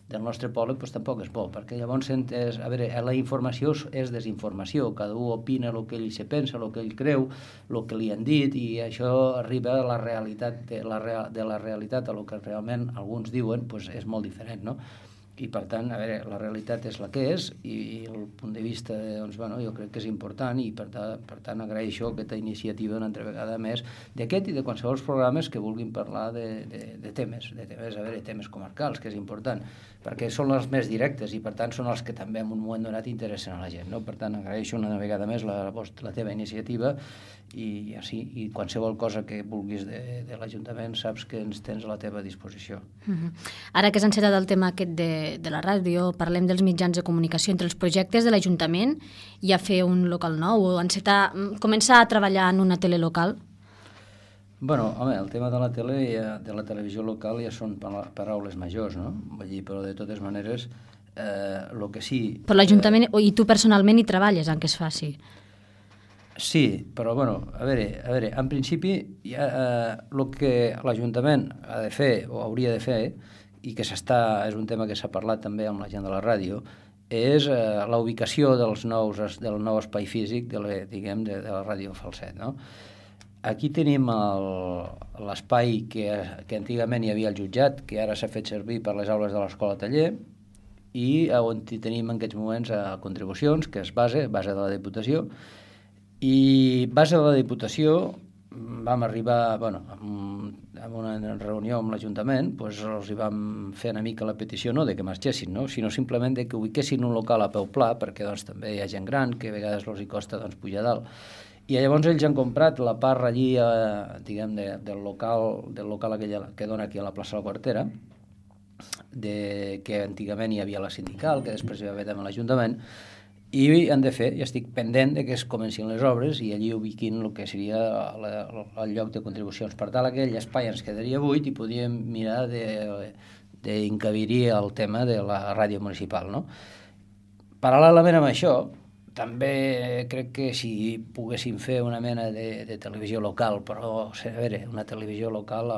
del nostre poble tampoc és bo, perquè llavors la informació és desinformació, cada un opina el que ell se pensa, el que ell creu, el que li han dit i això arriba a la realitat de la realitat, a el que realment alguns diuen, és molt diferent, no? I per tant, la realitat és la que és i el punt de vista, jo crec que és important i per tant agraeixo aquesta iniciativa una altra vegada més d'aquest i de qualsevol programes que vulguin parlar de temes, temes comarcals, que és important, perquè són els més directes i per tant són els que també en un moment donat interessen a la gent, no? Per tant, agraeixo una vegada més la teva iniciativa i qualsevol cosa que vulguis de l'Ajuntament saps que ens tens a la teva disposició. Ara que s'ha encetat el tema aquest de la ràdio, parlem dels mitjans de comunicació. Entre els projectes de l'Ajuntament hi ha fer un local nou o començar a treballar en una tele local? El tema de la tele i de la televisió local ja són paraules majors, no? Vull dir, però de totes maneres, el que sí... Per l'Ajuntament, i tu personalment hi treballes en què es faci? Sí, però, a veure, en principi, el que l'Ajuntament ha de fer o hauria de fer, i que és un tema que s'ha parlat també amb la gent de la ràdio, és la ubicació del nou espai físic de la ràdio Falset, no? Aquí tenim l'espai que antigament hi havia el jutjat, que ara s'ha fet servir per les aules de l'escola taller, i on tenim en aquests moments contribucions, que és base de la Diputació, i base de la Diputació vam arribar, en una reunió amb l'Ajuntament, els vam fer una mica la petició no de que marxessin, sinó simplement de que ubiquessin un local a peu pla, perquè també hi ha gent gran que a vegades els hi costa pujar dalt. I llavors ells han comprat la part allí, del local que dona aquí a la plaça de la Quartera, que antigament hi havia la sindical, que després hi va haver també l'Ajuntament, i han de fer, ja estic pendent de que es comencin les obres i allí ubiquin el que seria el lloc de contribucions. Per tant, aquell espai ens quedaria buit i podíem mirar d'encabir-hi el tema de la ràdio municipal, no? Paral·lelament amb això, també crec que si poguéssim fer una mena de televisió local, però, una televisió local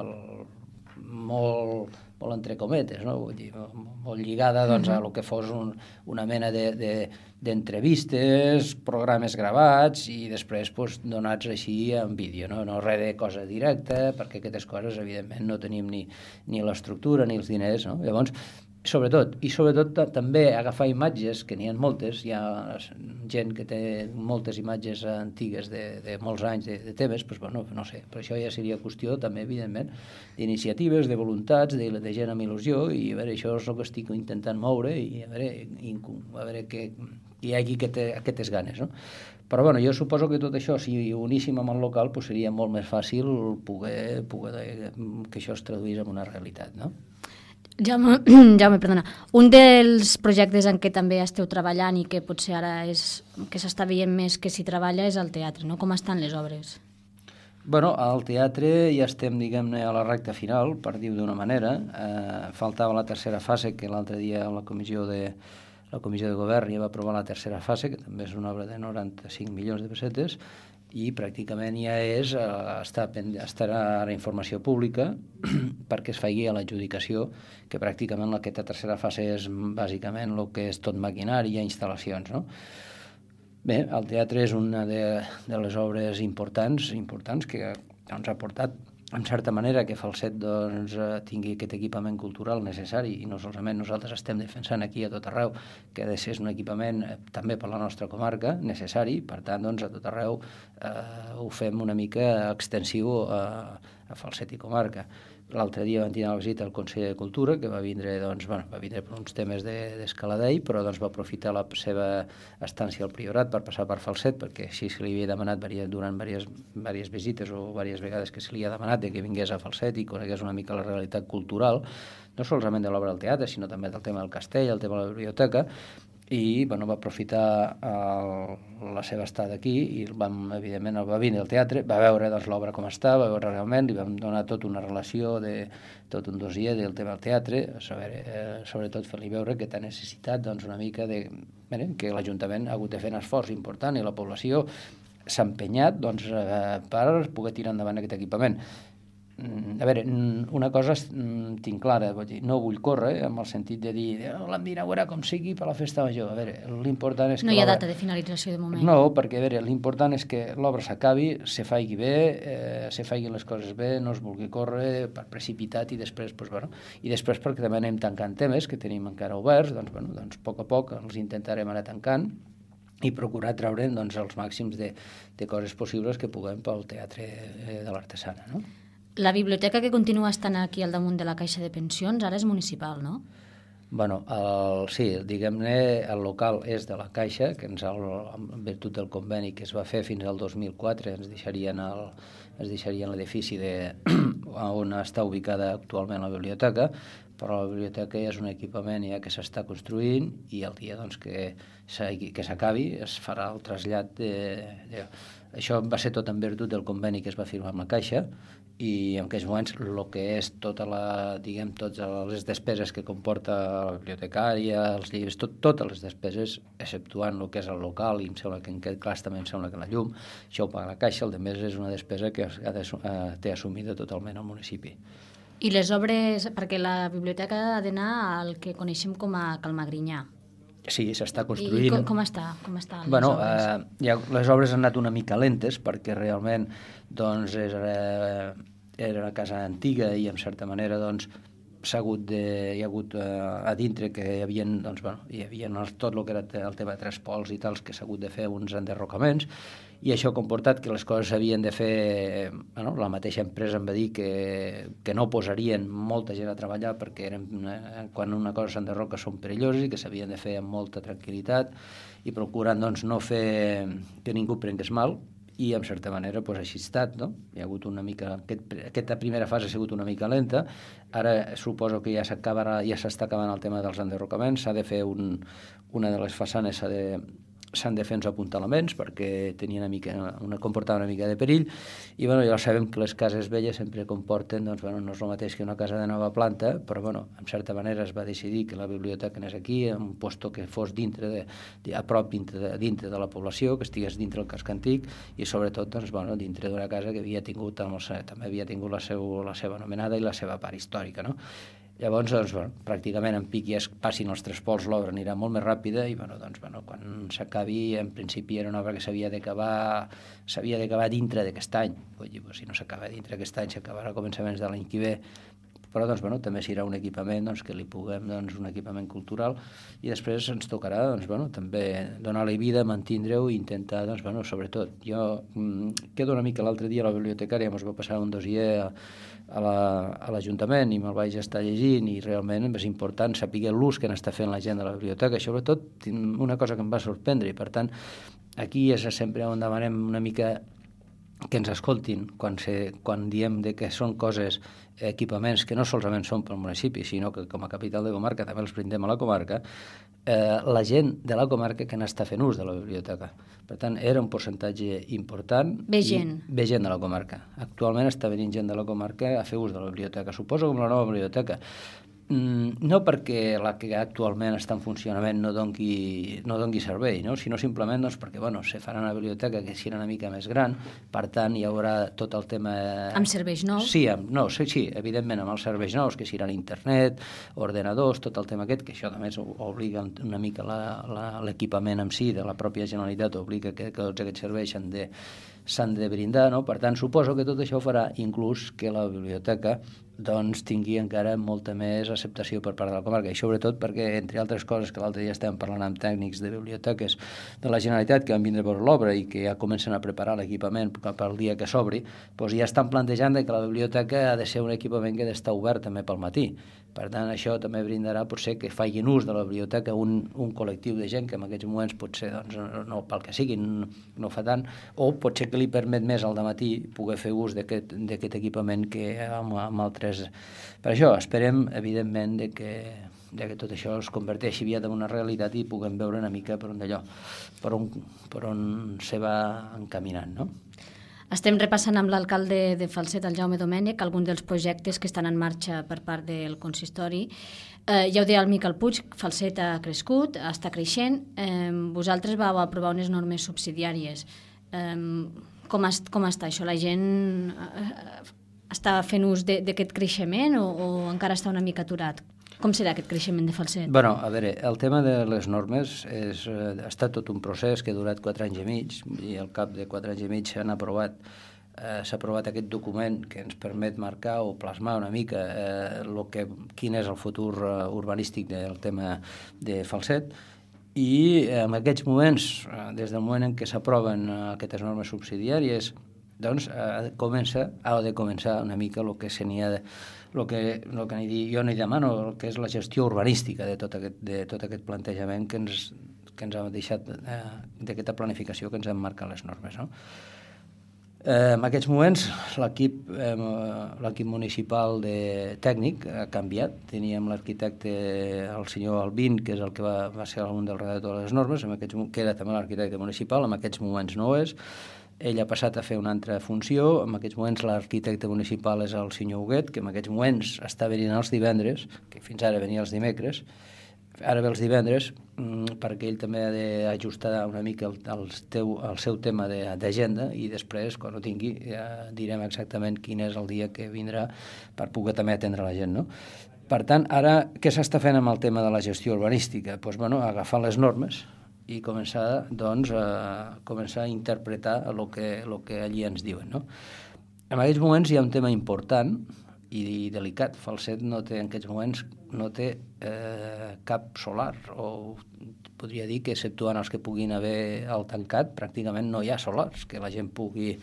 molt entre cometes, no? Vull dir, molt lligada a el que fos una mena d'entrevistes, programes gravats i després donats així en vídeo, no res de cosa directa, perquè aquestes coses evidentment no tenim ni l'estructura ni els diners, no? Llavors, sobretot també agafar imatges, que n'hi ha moltes, hi ha gent que té moltes imatges antigues de molts anys de temes, no sé, però això ja seria qüestió també, evidentment, d'iniciatives, de voluntats, de gent amb il·lusió, i a veure, això és el que estic intentant moure, i a veure que hi hagi aquestes ganes, no? Però jo suposo que tot això, si ho uníssim amb el local, seria molt més fàcil poder que això es traduís en una realitat, no? Jaume, perdona. Un dels projectes en què també esteu treballant i que potser ara és que s'està veient més que s'hi treballa és el teatre, no? Com estan les obres? Al teatre ja estem, diguem-ne, a la recta final, per dir-ho d'una manera. Faltava la tercera fase, que l'altre dia la comissió de govern ja va aprovar la tercera fase, que també és una obra de 95 milions de pessetes, i pràcticament ja estarà a informació pública perquè es faci a l'adjudicació, que pràcticament aquesta tercera fase és bàsicament el que és tot maquinari i instal·lacions, no? Bé, el teatre és una de les obres importants que ens ha portat en certa manera, que Falset tingui aquest equipament cultural necessari, i no solament nosaltres estem defensant aquí a tot arreu que ha de ser un equipament també per la nostra comarca necessari, per tant, a tot arreu ho fem una mica extensiu a Falset i comarca. L'altre dia vam tenir la visita al conseller de Cultura, que va vindre per uns temes d'Escaladell, però va aprofitar la seva estància al Priorat per passar per Falset, perquè així se li havia demanat durant diverses visites o diverses vegades que se li ha demanat que vingués a Falset i conegués una mica la realitat cultural, no solament de l'obra del teatre, sinó també del tema del castell, el tema de la biblioteca, i va aprofitar la seva estada aquí i evidentment va vindre al teatre, va veure l'obra com està, va veure realment, li vam donar tota una relació, tot un dossier del tema del teatre, sobretot fer-li veure que té necessitat una mica que l'Ajuntament ha hagut de fer un esforç important i la població s'ha empenyat per poder tirar endavant aquest equipament. A veure, una cosa tinc clara, no vull córrer en el sentit de dir l'hem d'inaugurar com sigui per la festa major. A veure, l'important és que... No hi ha data de finalització de moment. No, perquè a veure, l'important és que l'obra s'acabi, se faci bé, se facin les coses bé, no es vulgui córrer per precipitat i després, perquè també anem tancant temes que tenim encara oberts, a poc a poc els intentarem anar tancant i procurar treure'n els màxims de coses possibles que puguem pel teatre de l'Artesana, no? La biblioteca que continua estant aquí al damunt de la Caixa de Pensions ara és municipal, no? Bueno, sí, diguem-ne, el local és de la Caixa, que en virtut del conveni que es va fer fins al 2004 ens deixarien l'edifici on està ubicada actualment la biblioteca, però la biblioteca és un equipament ja que s'està construint i el dia que s'acabi es farà el trasllat Això va ser tot en virtut del conveni que es va firmar amb la Caixa i en aquells moments el que és totes les despeses que comporta la bibliotecària, els llibres, totes les despeses, exceptuant el que és el local, i em sembla que en aquest cas també em sembla que la llum, això ho paga la Caixa, el de més és una despesa que té assumida totalment el municipi. I les obres, perquè la biblioteca ha d'anar al que coneixem com a Calmagrinyà. Sí, s'està construint. I com està les obres? Les obres han anat una mica lentes perquè realment era una casa antiga i en certa manera hi ha hagut a dintre que hi havia, tot el que era el tema de tres pols i tals que s'ha hagut de fer uns enderrocaments i això ha comportat que les coses s'havien de fer, la mateixa empresa em va dir que no posarien molta gent a treballar perquè quan una cosa s'enderroca són perilloses i que s'havien de fer amb molta tranquil·litat i procurant no fer que ningú prengués mal i en certa manera així ha estat, no? Hi ha hagut una mica... Aquesta primera fase ha sigut una mica lenta, ara suposo que ja s'està acabant el tema dels enderrocaments, s'ha de fer una de les façanes s'han de fer uns apuntalaments perquè comportava una mica de perill i ja sabem que les cases velles sempre comporten, no és el mateix que una casa de nova planta, però en certa manera es va decidir que la biblioteca anés aquí, en un lloc que fos a prop dintre de la població, que estigués dintre del casc antic i sobretot dintre d'una casa que també havia tingut la seva anomenada i la seva part històrica, no? Llavors, pràcticament en pic ja es passin els tres pols, l'obra anirà molt més ràpida i quan s'acabi, en principi era una obra que s'havia d'acabar dintre d'aquest any. Vull dir, si no s'acaba dintre d'aquest any, s'acabarà a començaments de l'any que ve, però també serà un equipament que li puguem, un equipament cultural i després ens tocarà també donar-li vida, mantindre-ho i intentar, sobretot, jo quedo una mica l'altre dia a la bibliotecària, ens va passar un dossier a l'Ajuntament i me'l vaig estar llegint i realment és important saber l'ús que n'està fent la gent de la biblioteca. Sobretot una cosa que em va sorprendre i per tant aquí és sempre on demanem una mica que ens escoltin quan diem que són coses, equipaments que no solament són pel municipi, sinó que com a capital de comarca també els brindem a la comarca, la gent de la comarca que n'està fent ús de la biblioteca. Per tant, era un percentatge important. Ve gent de la comarca. Actualment està venint gent de la comarca a fer ús de la biblioteca. Suposo com la nova biblioteca. No perquè la que actualment està en funcionament no doni servei, no? Sinó simplement perquè se farà una biblioteca que sigui una mica més gran, per tant hi haurà tot el tema... Amb serveis nous? Sí, evidentment amb els serveis nous, que seran internet, ordenadors, tot el tema aquest, que això també obliga una mica l'equipament en si de la pròpia Generalitat, obliga que tots aquests serveis s'han de brindar, no? Per tant, suposo que tot això farà inclús que la biblioteca tingui encara molta més acceptació per part de la comarca, i sobretot perquè, entre altres coses, que l'altre dia estem parlant amb tècnics de biblioteques de la Generalitat que van vindre per l'obra i que ja comencen a preparar l'equipament cap al dia que s'obri, ja estan plantejant que la biblioteca ha de ser un equipament que ha d'estar obert també pel matí. Per tant, això també brindarà potser que facin ús de la biblioteca un col·lectiu de gent que en aquests moments potser, no pel que sigui, no fa tant, o potser que li permet més al dematí poder fer ús d'aquest equipament que amb altres... Per això esperem, evidentment, que tot això es converteixi aviat en una realitat i puguem veure una mica per on se va encaminant, no? Estem repassant amb l'alcalde de Falset, el Jaume Domènech, alguns dels projectes que estan en marxa per part del consistori. Ja ho deia el Miquel Puig, Falset ha crescut, està creixent. Vosaltres vau aprovar unes normes subsidiàries. Com està això? La gent està fent ús d'aquest creixement o encara està una mica aturat? Com serà aquest creixement de Falset? A veure, el tema de les normes ha estat tot un procés que ha durat 4 anys i mig, i al cap de 4 anys i mig s'ha aprovat aquest document que ens permet marcar o plasmar una mica quin és el futur urbanístic del tema de Falset, i en aquests moments, des del moment en què s'aproven aquestes normes subsidiàries, ha de començar una mica el que seria jo n'hi demano, que és la gestió urbanística de tot aquest plantejament que ens ha deixat d'aquesta planificació que ens han marcat les normes, no? En aquests moments l'equip municipal tècnic ha canviat. Teníem l'arquitecte, el senyor Albín, que és el que va ser un dels redactors de les normes, que era també l'arquitecte municipal, en aquests moments no ho és. Ell ha passat a fer una altra funció. En aquests moments l'arquitecte municipal és el senyor Huguet, que en aquests moments està venint els divendres, que fins ara venia els dimecres. Ara ve els divendres perquè ell també ha d'ajustar una mica el seu tema d'agenda, i després, quan ho tingui, ja direm exactament quin és el dia que vindrà per poder també atendre la gent, no? Per tant, ara, què s'està fent amb el tema de la gestió urbanística? Agafar les normes i començar a interpretar el que allí ens diuen, no? En aquests moments hi ha un tema important i delicat. Falset en aquests moments no té cap solar, o podria dir que, exceptuant els que puguin haver al tancat, pràcticament no hi ha solars que la gent pugui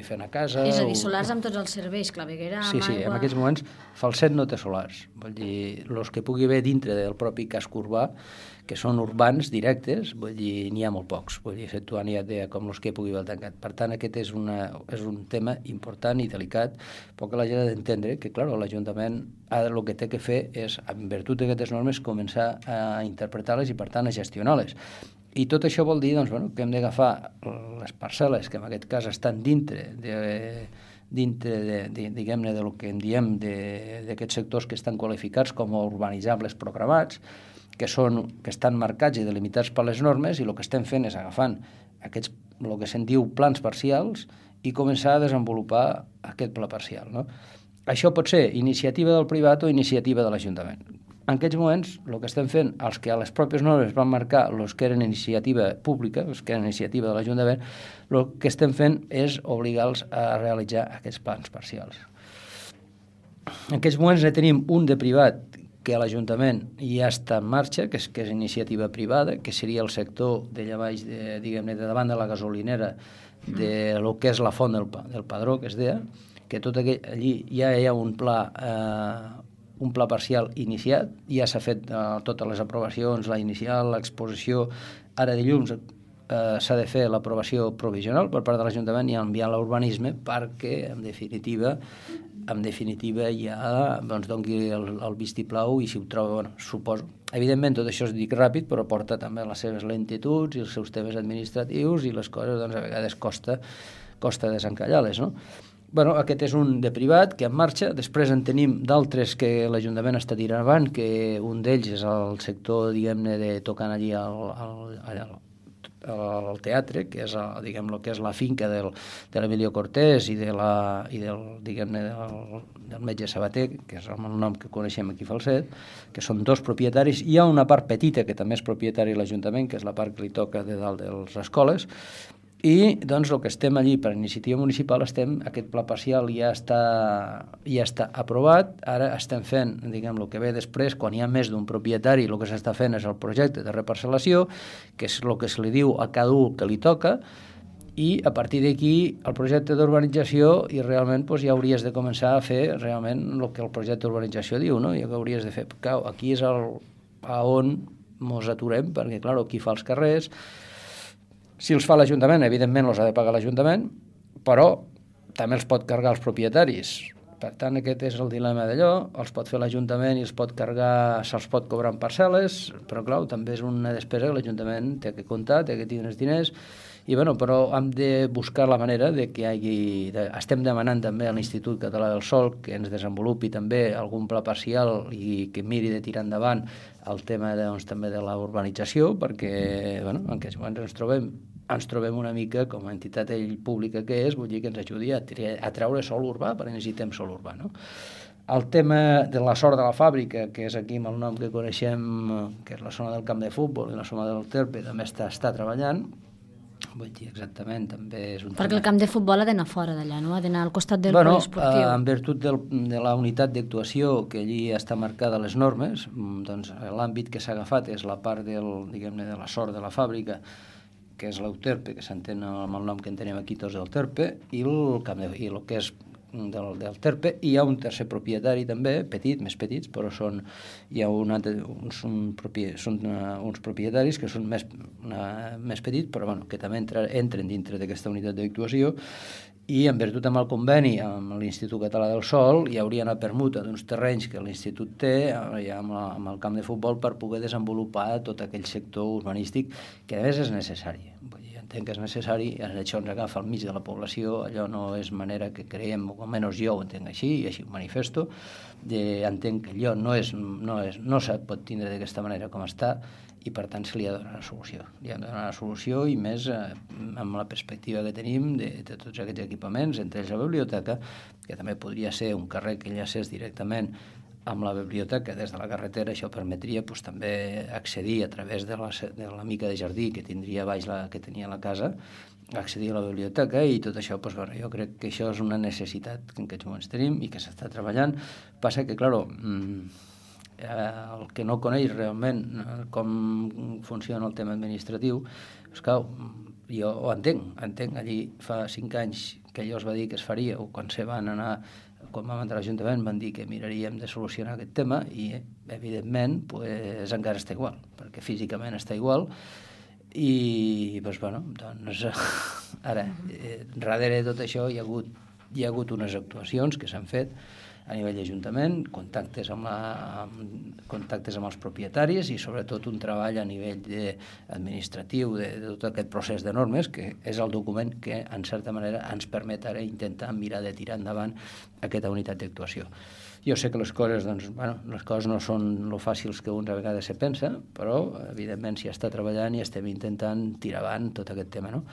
fer una casa. És a dir, solars amb tots els serveis, claveguera, amb aigua... Sí, en aquests moments Falset no té solars. Vull dir, els que pugui haver dintre del propi casc urbà, que són urbans directes, vull dir, n'hi ha molt pocs, vull dir, exceptuant ja com els que pugui haver tancat. Per tant, aquest és un tema important i delicat, però que la gent ha d'entendre que, clar, l'Ajuntament ara el que té que fer és, en virtut d'aquestes normes, començar a interpretar-les i, per tant, a gestionar-les. I tot això vol dir que hem d'agafar les parcel·les que en aquest cas estan dintre diguem-ne, del que en diem d'aquests sectors que estan qualificats com a urbanitzables programats, que estan marcats i delimitats per les normes, i el que estem fent és agafant el que se'n diu plans parcials i començar a desenvolupar aquest pla parcial, no? Això pot ser iniciativa del privat o iniciativa de l'Ajuntament. En aquests moments, el que estem fent, els que a les pròpies normes van marcar els que eren iniciativa pública, els que eren iniciativa de l'Ajuntament, el que estem fent és obligar-los a realitzar aquests plans parcials. En aquests moments ne tenim un de privat que a l'Ajuntament ja està en marxa, que és iniciativa privada, que seria el sector d'allà baix, diguem-ne, de davant de la gasolinera, de lo que és la font del Padró, que es deia, que tot allí ja hi ha un pla parcial iniciat, ja s'ha fet totes les aprovacions, la inicial, l'exposició. Ara dilluns s'ha de fer l'aprovació provisional per part de l'Ajuntament i enviar l'urbanisme perquè, en definitiva ja doni el vistiplau, i si ho troba, suposo. Evidentment, tot això es dic ràpid, però porta també les seves lentituds i els seus temes administratius, i les coses, a vegades costa desencallar-les, no? Bueno, aquest és un de privat que en marxa, després en tenim d'altres que l'Ajuntament està tirant avant, que un d'ells és el sector, diguem-ne, de tocant allí al teatre, que és, diguem, lo que és la finca de l'Emilio Cortés i del, diguem-ne, del metge Sabater, que és el nom que coneixem aquí a Falset, que són dos propietaris. Hi ha una part petita que també és propietari de l'Ajuntament, que és la part que li toca de dalt de les escoles, i doncs el que estem allí per iniciativa municipal, aquest pla parcial ja està aprovat, ara estem fent, diguem, el que ve després, quan hi ha més d'un propietari, el que s'està fent és el projecte de reparcel·lació, que és el que se li diu a cada un que li toca, i a partir d'aquí el projecte d'urbanització, i realment ja hauries de començar a fer realment el que el projecte d'urbanització diu, no? I que hauries de fer, aquí és on ens aturem, perquè clar, aquí fa els carrers. Si els fa l'Ajuntament, evidentment els ha de pagar l'Ajuntament, però també els pot carregar els propietaris. Per tant, aquest és el dilema d'allò, els pot fer l'Ajuntament i els pot carregar, se'ls pot cobrar en parcel·les, però clar, també és una despesa que l'Ajuntament té que comptar, té que tindre els diners, i bueno, però hem de buscar la manera de que hi hagi... Estem demanant també a l'Institut Català del Sòl que ens desenvolupi també algun pla parcial i que miri de tirar endavant el tema també de la urbanització, perquè en aquests moments ens trobem una mica com a entitat pública que és, vull dir que ens ajudi a treure sòl urbà, perquè necessitem sòl urbà, no? El tema de la sort de la fàbrica, que és aquí amb el nom que coneixem, que és la zona del camp de futbol i la zona del Terpe, també està treballant. Vull dir, exactament, també és un perquè tema... el camp de futbol ha d'anar fora d'allà, no? Ha d'anar al costat del poliesportiu. En virtut de la unitat d'actuació que allí està marcada a les normes, doncs l'àmbit que s'ha agafat és la part diguem-ne, de la sort de la fàbrica, que és l'Euterpe, que s'entén amb el nom que en tenim aquí tots del Terpe, i el que és del Terpe. Hi ha un tercer propietari també, més petits, però són uns propietaris que són més petits, però bueno, que també entren dintre d'aquesta unitat d'actuació, i en virtut amb el conveni amb l'Institut Català del Sòl hi hauria una permuta d'uns terrenys que l'Institut té amb el camp de futbol per poder desenvolupar tot aquell sector urbanístic que a més és necessari. Vull dir, entenc que és necessari, això ens agafa al mig de la població, allò no és manera que creiem, o almenys jo ho entenc així, i així ho manifesto, entenc que allò no se pot tindre d'aquesta manera com està, i per tant se li ha de donar una solució. Li ha de donar una solució, i més amb la perspectiva que tenim de tots aquests equipaments, entre ells la biblioteca, que també podria ser un carrer que enllacés directament amb la biblioteca des de la carretera. Això permetria també accedir a través de la mica de jardí que tindria baix que tenia la casa, accedir a la biblioteca, i tot això, jo crec que això és una necessitat que en aquests moments tenim i que s'està treballant. Passa que, clar, el que no coneix realment com funciona el tema administratiu, esclar, jo ho entenc. Allí fa 5 anys que allò es va dir que es faria, o quan vam entrar a l'Ajuntament van dir que miraríem de solucionar aquest tema, i evidentment encara està igual, perquè físicament està igual, i doncs ara, darrere de tot això hi ha hagut unes actuacions que s'han fet a nivell d'Ajuntament, contactes amb els propietaris, i sobretot un treball a nivell administratiu de tot aquest procés de normes, que és el document que en certa manera ens permet ara intentar mirar de tirar endavant aquesta unitat d'actuació. Jo sé que les coses no són lo fàcils que un a vegades se pensa, però evidentment s'hi està treballant i estem intentant tirar avant tot aquest tema, no?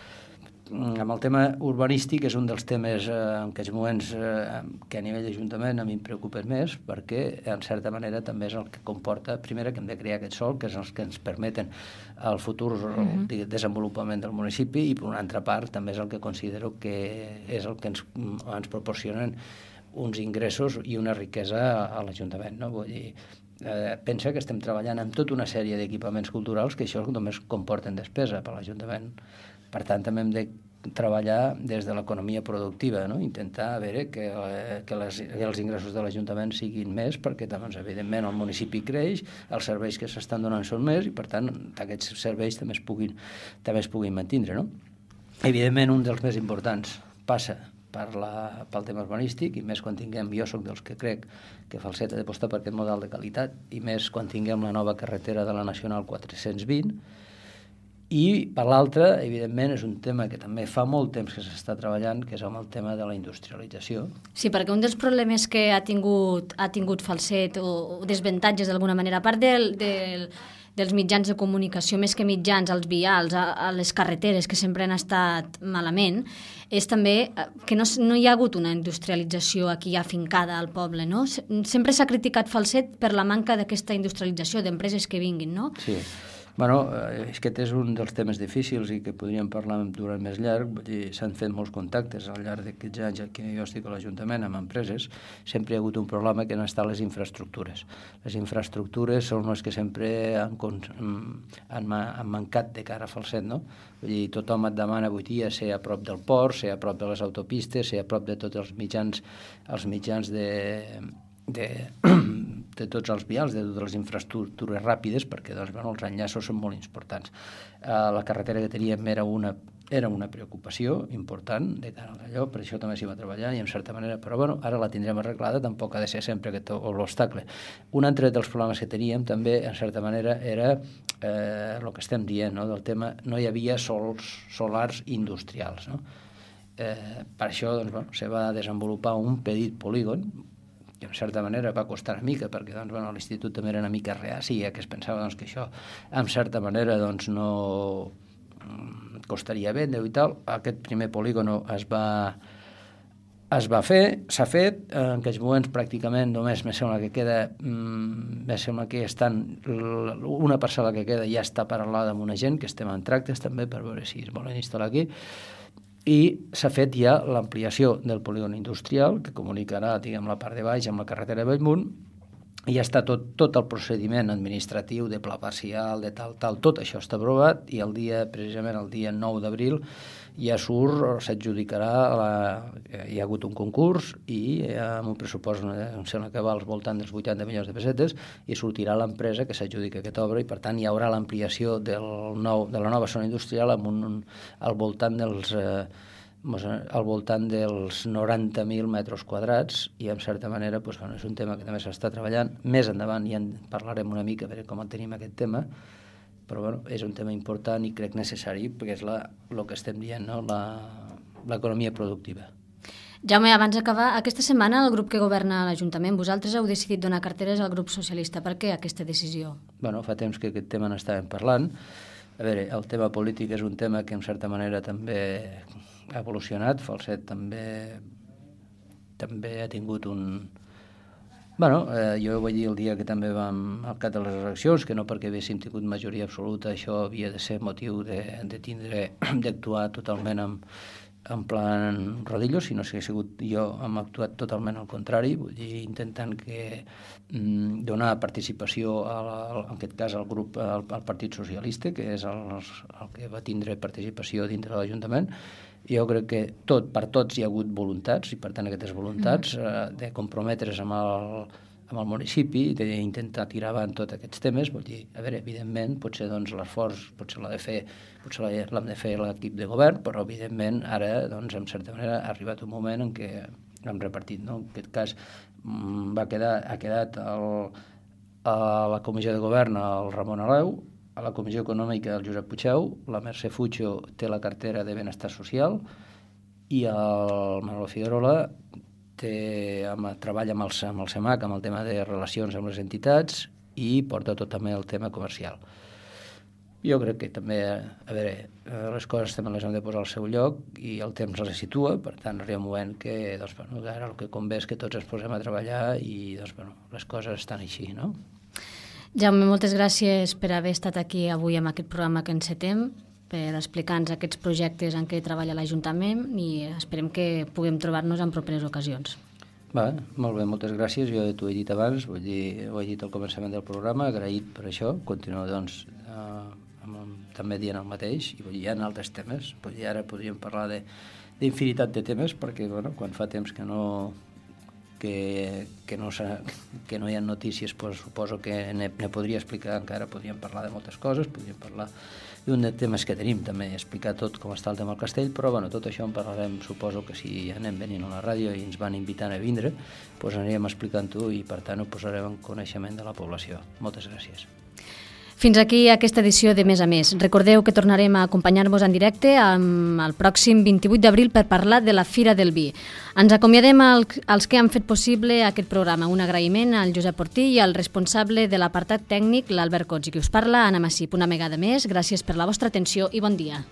Amb el tema urbanístic és un dels temes en aquests moments que a nivell d'Ajuntament a mi em preocupa més, perquè en certa manera també és el que comporta, primer, que hem de crear aquest sòl, que és els que ens permeten el futur desenvolupament del municipi, i per una altra part també és el que considero que és el que ens proporcionen uns ingressos i una riquesa a l'Ajuntament, no? Vull dir, pensa que estem treballant amb tota una sèrie d'equipaments culturals que això només comporten despesa per l'Ajuntament. Per tant, també hem de treballar des de l'economia productiva, no? Intentar veure que els ingressos de l'Ajuntament siguin més, perquè doncs, evidentment el municipi creix, els serveis que s'estan donant són més, i per tant aquests serveis també es puguin mantenir, no? Evidentment, un dels més importants passa pel tema urbanístic, i més quan jo soc dels que crec que Falset ha d'apostar per aquest model de qualitat, i més quan tinguem la nova carretera de la Nacional 420, I, per l'altra, evidentment, és un tema que també fa molt temps que s'està treballant, que és amb el tema de la industrialització. Sí, perquè un dels problemes que ha tingut Falset, o desavantatges d'alguna manera, a part dels mitjans de comunicació, més que mitjans, als vials, a les carreteres, que sempre han estat malament, és també que no hi ha hagut una industrialització aquí afincada al poble, no? Sempre s'ha criticat Falset per la manca d'aquesta industrialització, d'empreses que vinguin, no? Sí. Bueno, aquest és un dels temes difícils i que podríem parlar durant més llarg. Vull dir, s'han fet molts contactes al llarg d'aquests anys que jo estic a l'Ajuntament amb empreses. Sempre hi ha hagut un problema que no estan les infraestructures. Les infraestructures són les que sempre han mancat de cara a Falset, no? Vull dir, tothom et demana avui dia ser a prop del port, ser a prop de les autopistes, ser a prop de tots els mitjans de tots els vials, de totes les infraestructures ràpides, perquè doncs, bueno, els enllaços són molt importants. La carretera que teníem era una preocupació important de cara a allò, per això també s'hi va treballar i en certa manera, però bueno, ara la tindrem arreglada, tampoc ha de ser sempre l'obstacle. Un altre dels problemes que teníem també, en certa manera, era el que estem dient, no? Del tema, no hi havia solars industrials, no? Per això doncs, bueno, se va desenvolupar un petit polígon que en certa manera va costar una mica, perquè doncs, bueno, l'institut també era una mica reaci, que es pensava doncs, que això en certa manera doncs, no costaria vendre i tal. Aquest primer polígon es va fer, s'ha fet, en aquests moments pràcticament només me sembla que estan, una parcel·la que queda ja està paralada amb una gent, que estem en tractes també per veure si es volen instal·lar aquí, i s'ha fet ja l'ampliació del polígon industrial, que comunicarà, diguem, la part de baix amb la carretera de Bellmunt, i ja està tot el procediment administratiu de pla parcial, de tal, tot això està aprovat, i precisament el dia 9 d'abril ja s'adjudicarà, hi ha hagut un concurs i amb un pressupost, em sembla que va al voltant dels 80 milions de pessetes, i sortirà l'empresa que s'adjudica aquesta obra, i per tant hi haurà l'ampliació de la nova zona industrial al voltant dels 90.000 metres quadrats, i en certa manera doncs, bueno, és un tema que també s'està treballant. Més endavant ja en parlarem una mica, a veure com el tenim aquest tema, però bueno, és un tema important i crec necessari, perquè és el que estem dient, no? L'economia productiva. Jaume, abans d'acabar, aquesta setmana el grup que governa l'Ajuntament, vosaltres heu decidit donar carteres al grup socialista. Per què aquesta decisió? Bueno, fa temps que aquest tema n'estàvem parlant. A veure, el tema polític és un tema que en certa manera també ha evolucionat. Falset també ha tingut un... Bueno, jo vaig dir el dia que també vam al cap de les eleccions, que no perquè haguéssim tingut majoria absoluta això havia de ser motiu d'actuar totalment en plan rodillo, sinó que hem actuat totalment al contrari, vull dir, intentant donar participació, en aquest cas al grup, al Partit Socialista, que és el que va tindre participació dintre de l'Ajuntament. Jo crec que per tots hi ha hagut voluntats, i per tant aquestes voluntats de comprometre's amb el municipi, d'intentar tirar avant tots aquests temes, vull dir, a veure, evidentment, potser doncs l'esforç l'hem de fer l'equip de govern, però evidentment ara, doncs, en certa manera, ha arribat un moment en què hem repartit, no? En aquest cas ha quedat a la comissió de govern el Ramon Aleu, a la Comissió Econòmica el Josep Puigeu, la Mercè Fucho té la cartera de Benestar Social i el Manolo Figuerola treballa amb el CEMAC, amb el tema de relacions amb les entitats, i porta tot també el tema comercial. Jo crec que també, a veure, les coses també les hem de posar al seu lloc i el temps les situa, per tant arriba un moment que doncs, bueno, ara el que convé és que tots ens posem a treballar i doncs, bueno, les coses estan així, no? Jaume, moltes gràcies per haver estat aquí avui amb aquest programa que encetem, per explicar-nos aquests projectes en què treballa l'Ajuntament, i esperem que puguem trobar-nos en properes ocasions. Va, molt bé, moltes gràcies. Jo t'ho he dit abans, ho he dit al començament del programa, agraït per això. Continuo, doncs, també dient el mateix, i hi ha altres temes. Ara podríem parlar d'infinitat de temes, perquè bueno, quan fa temps que no hi ha notícies, doncs suposo que ne podria explicar encara, podríem parlar de moltes coses, podríem parlar d'un dels temes que tenim també, explicar tot com està el tema del castell, però bueno, tot això en parlarem, suposo que si anem venint a la ràdio i ens van invitant a vindre, doncs anirem explicant-ho i per tant ho posarem en coneixement de la població. Moltes gràcies. Fins aquí aquesta edició de Més a Més. Recordeu que tornarem a acompanyar-vos en directe el pròxim 28 d'abril per parlar de la Fira del Vi. Ens acomiadem als que han fet possible aquest programa. Un agraïment al Josep Ortí i al responsable de l'apartat tècnic, l'Albert Cots, i qui us parla, Anna Massip. Una vegada més, gràcies per la vostra atenció i bon dia.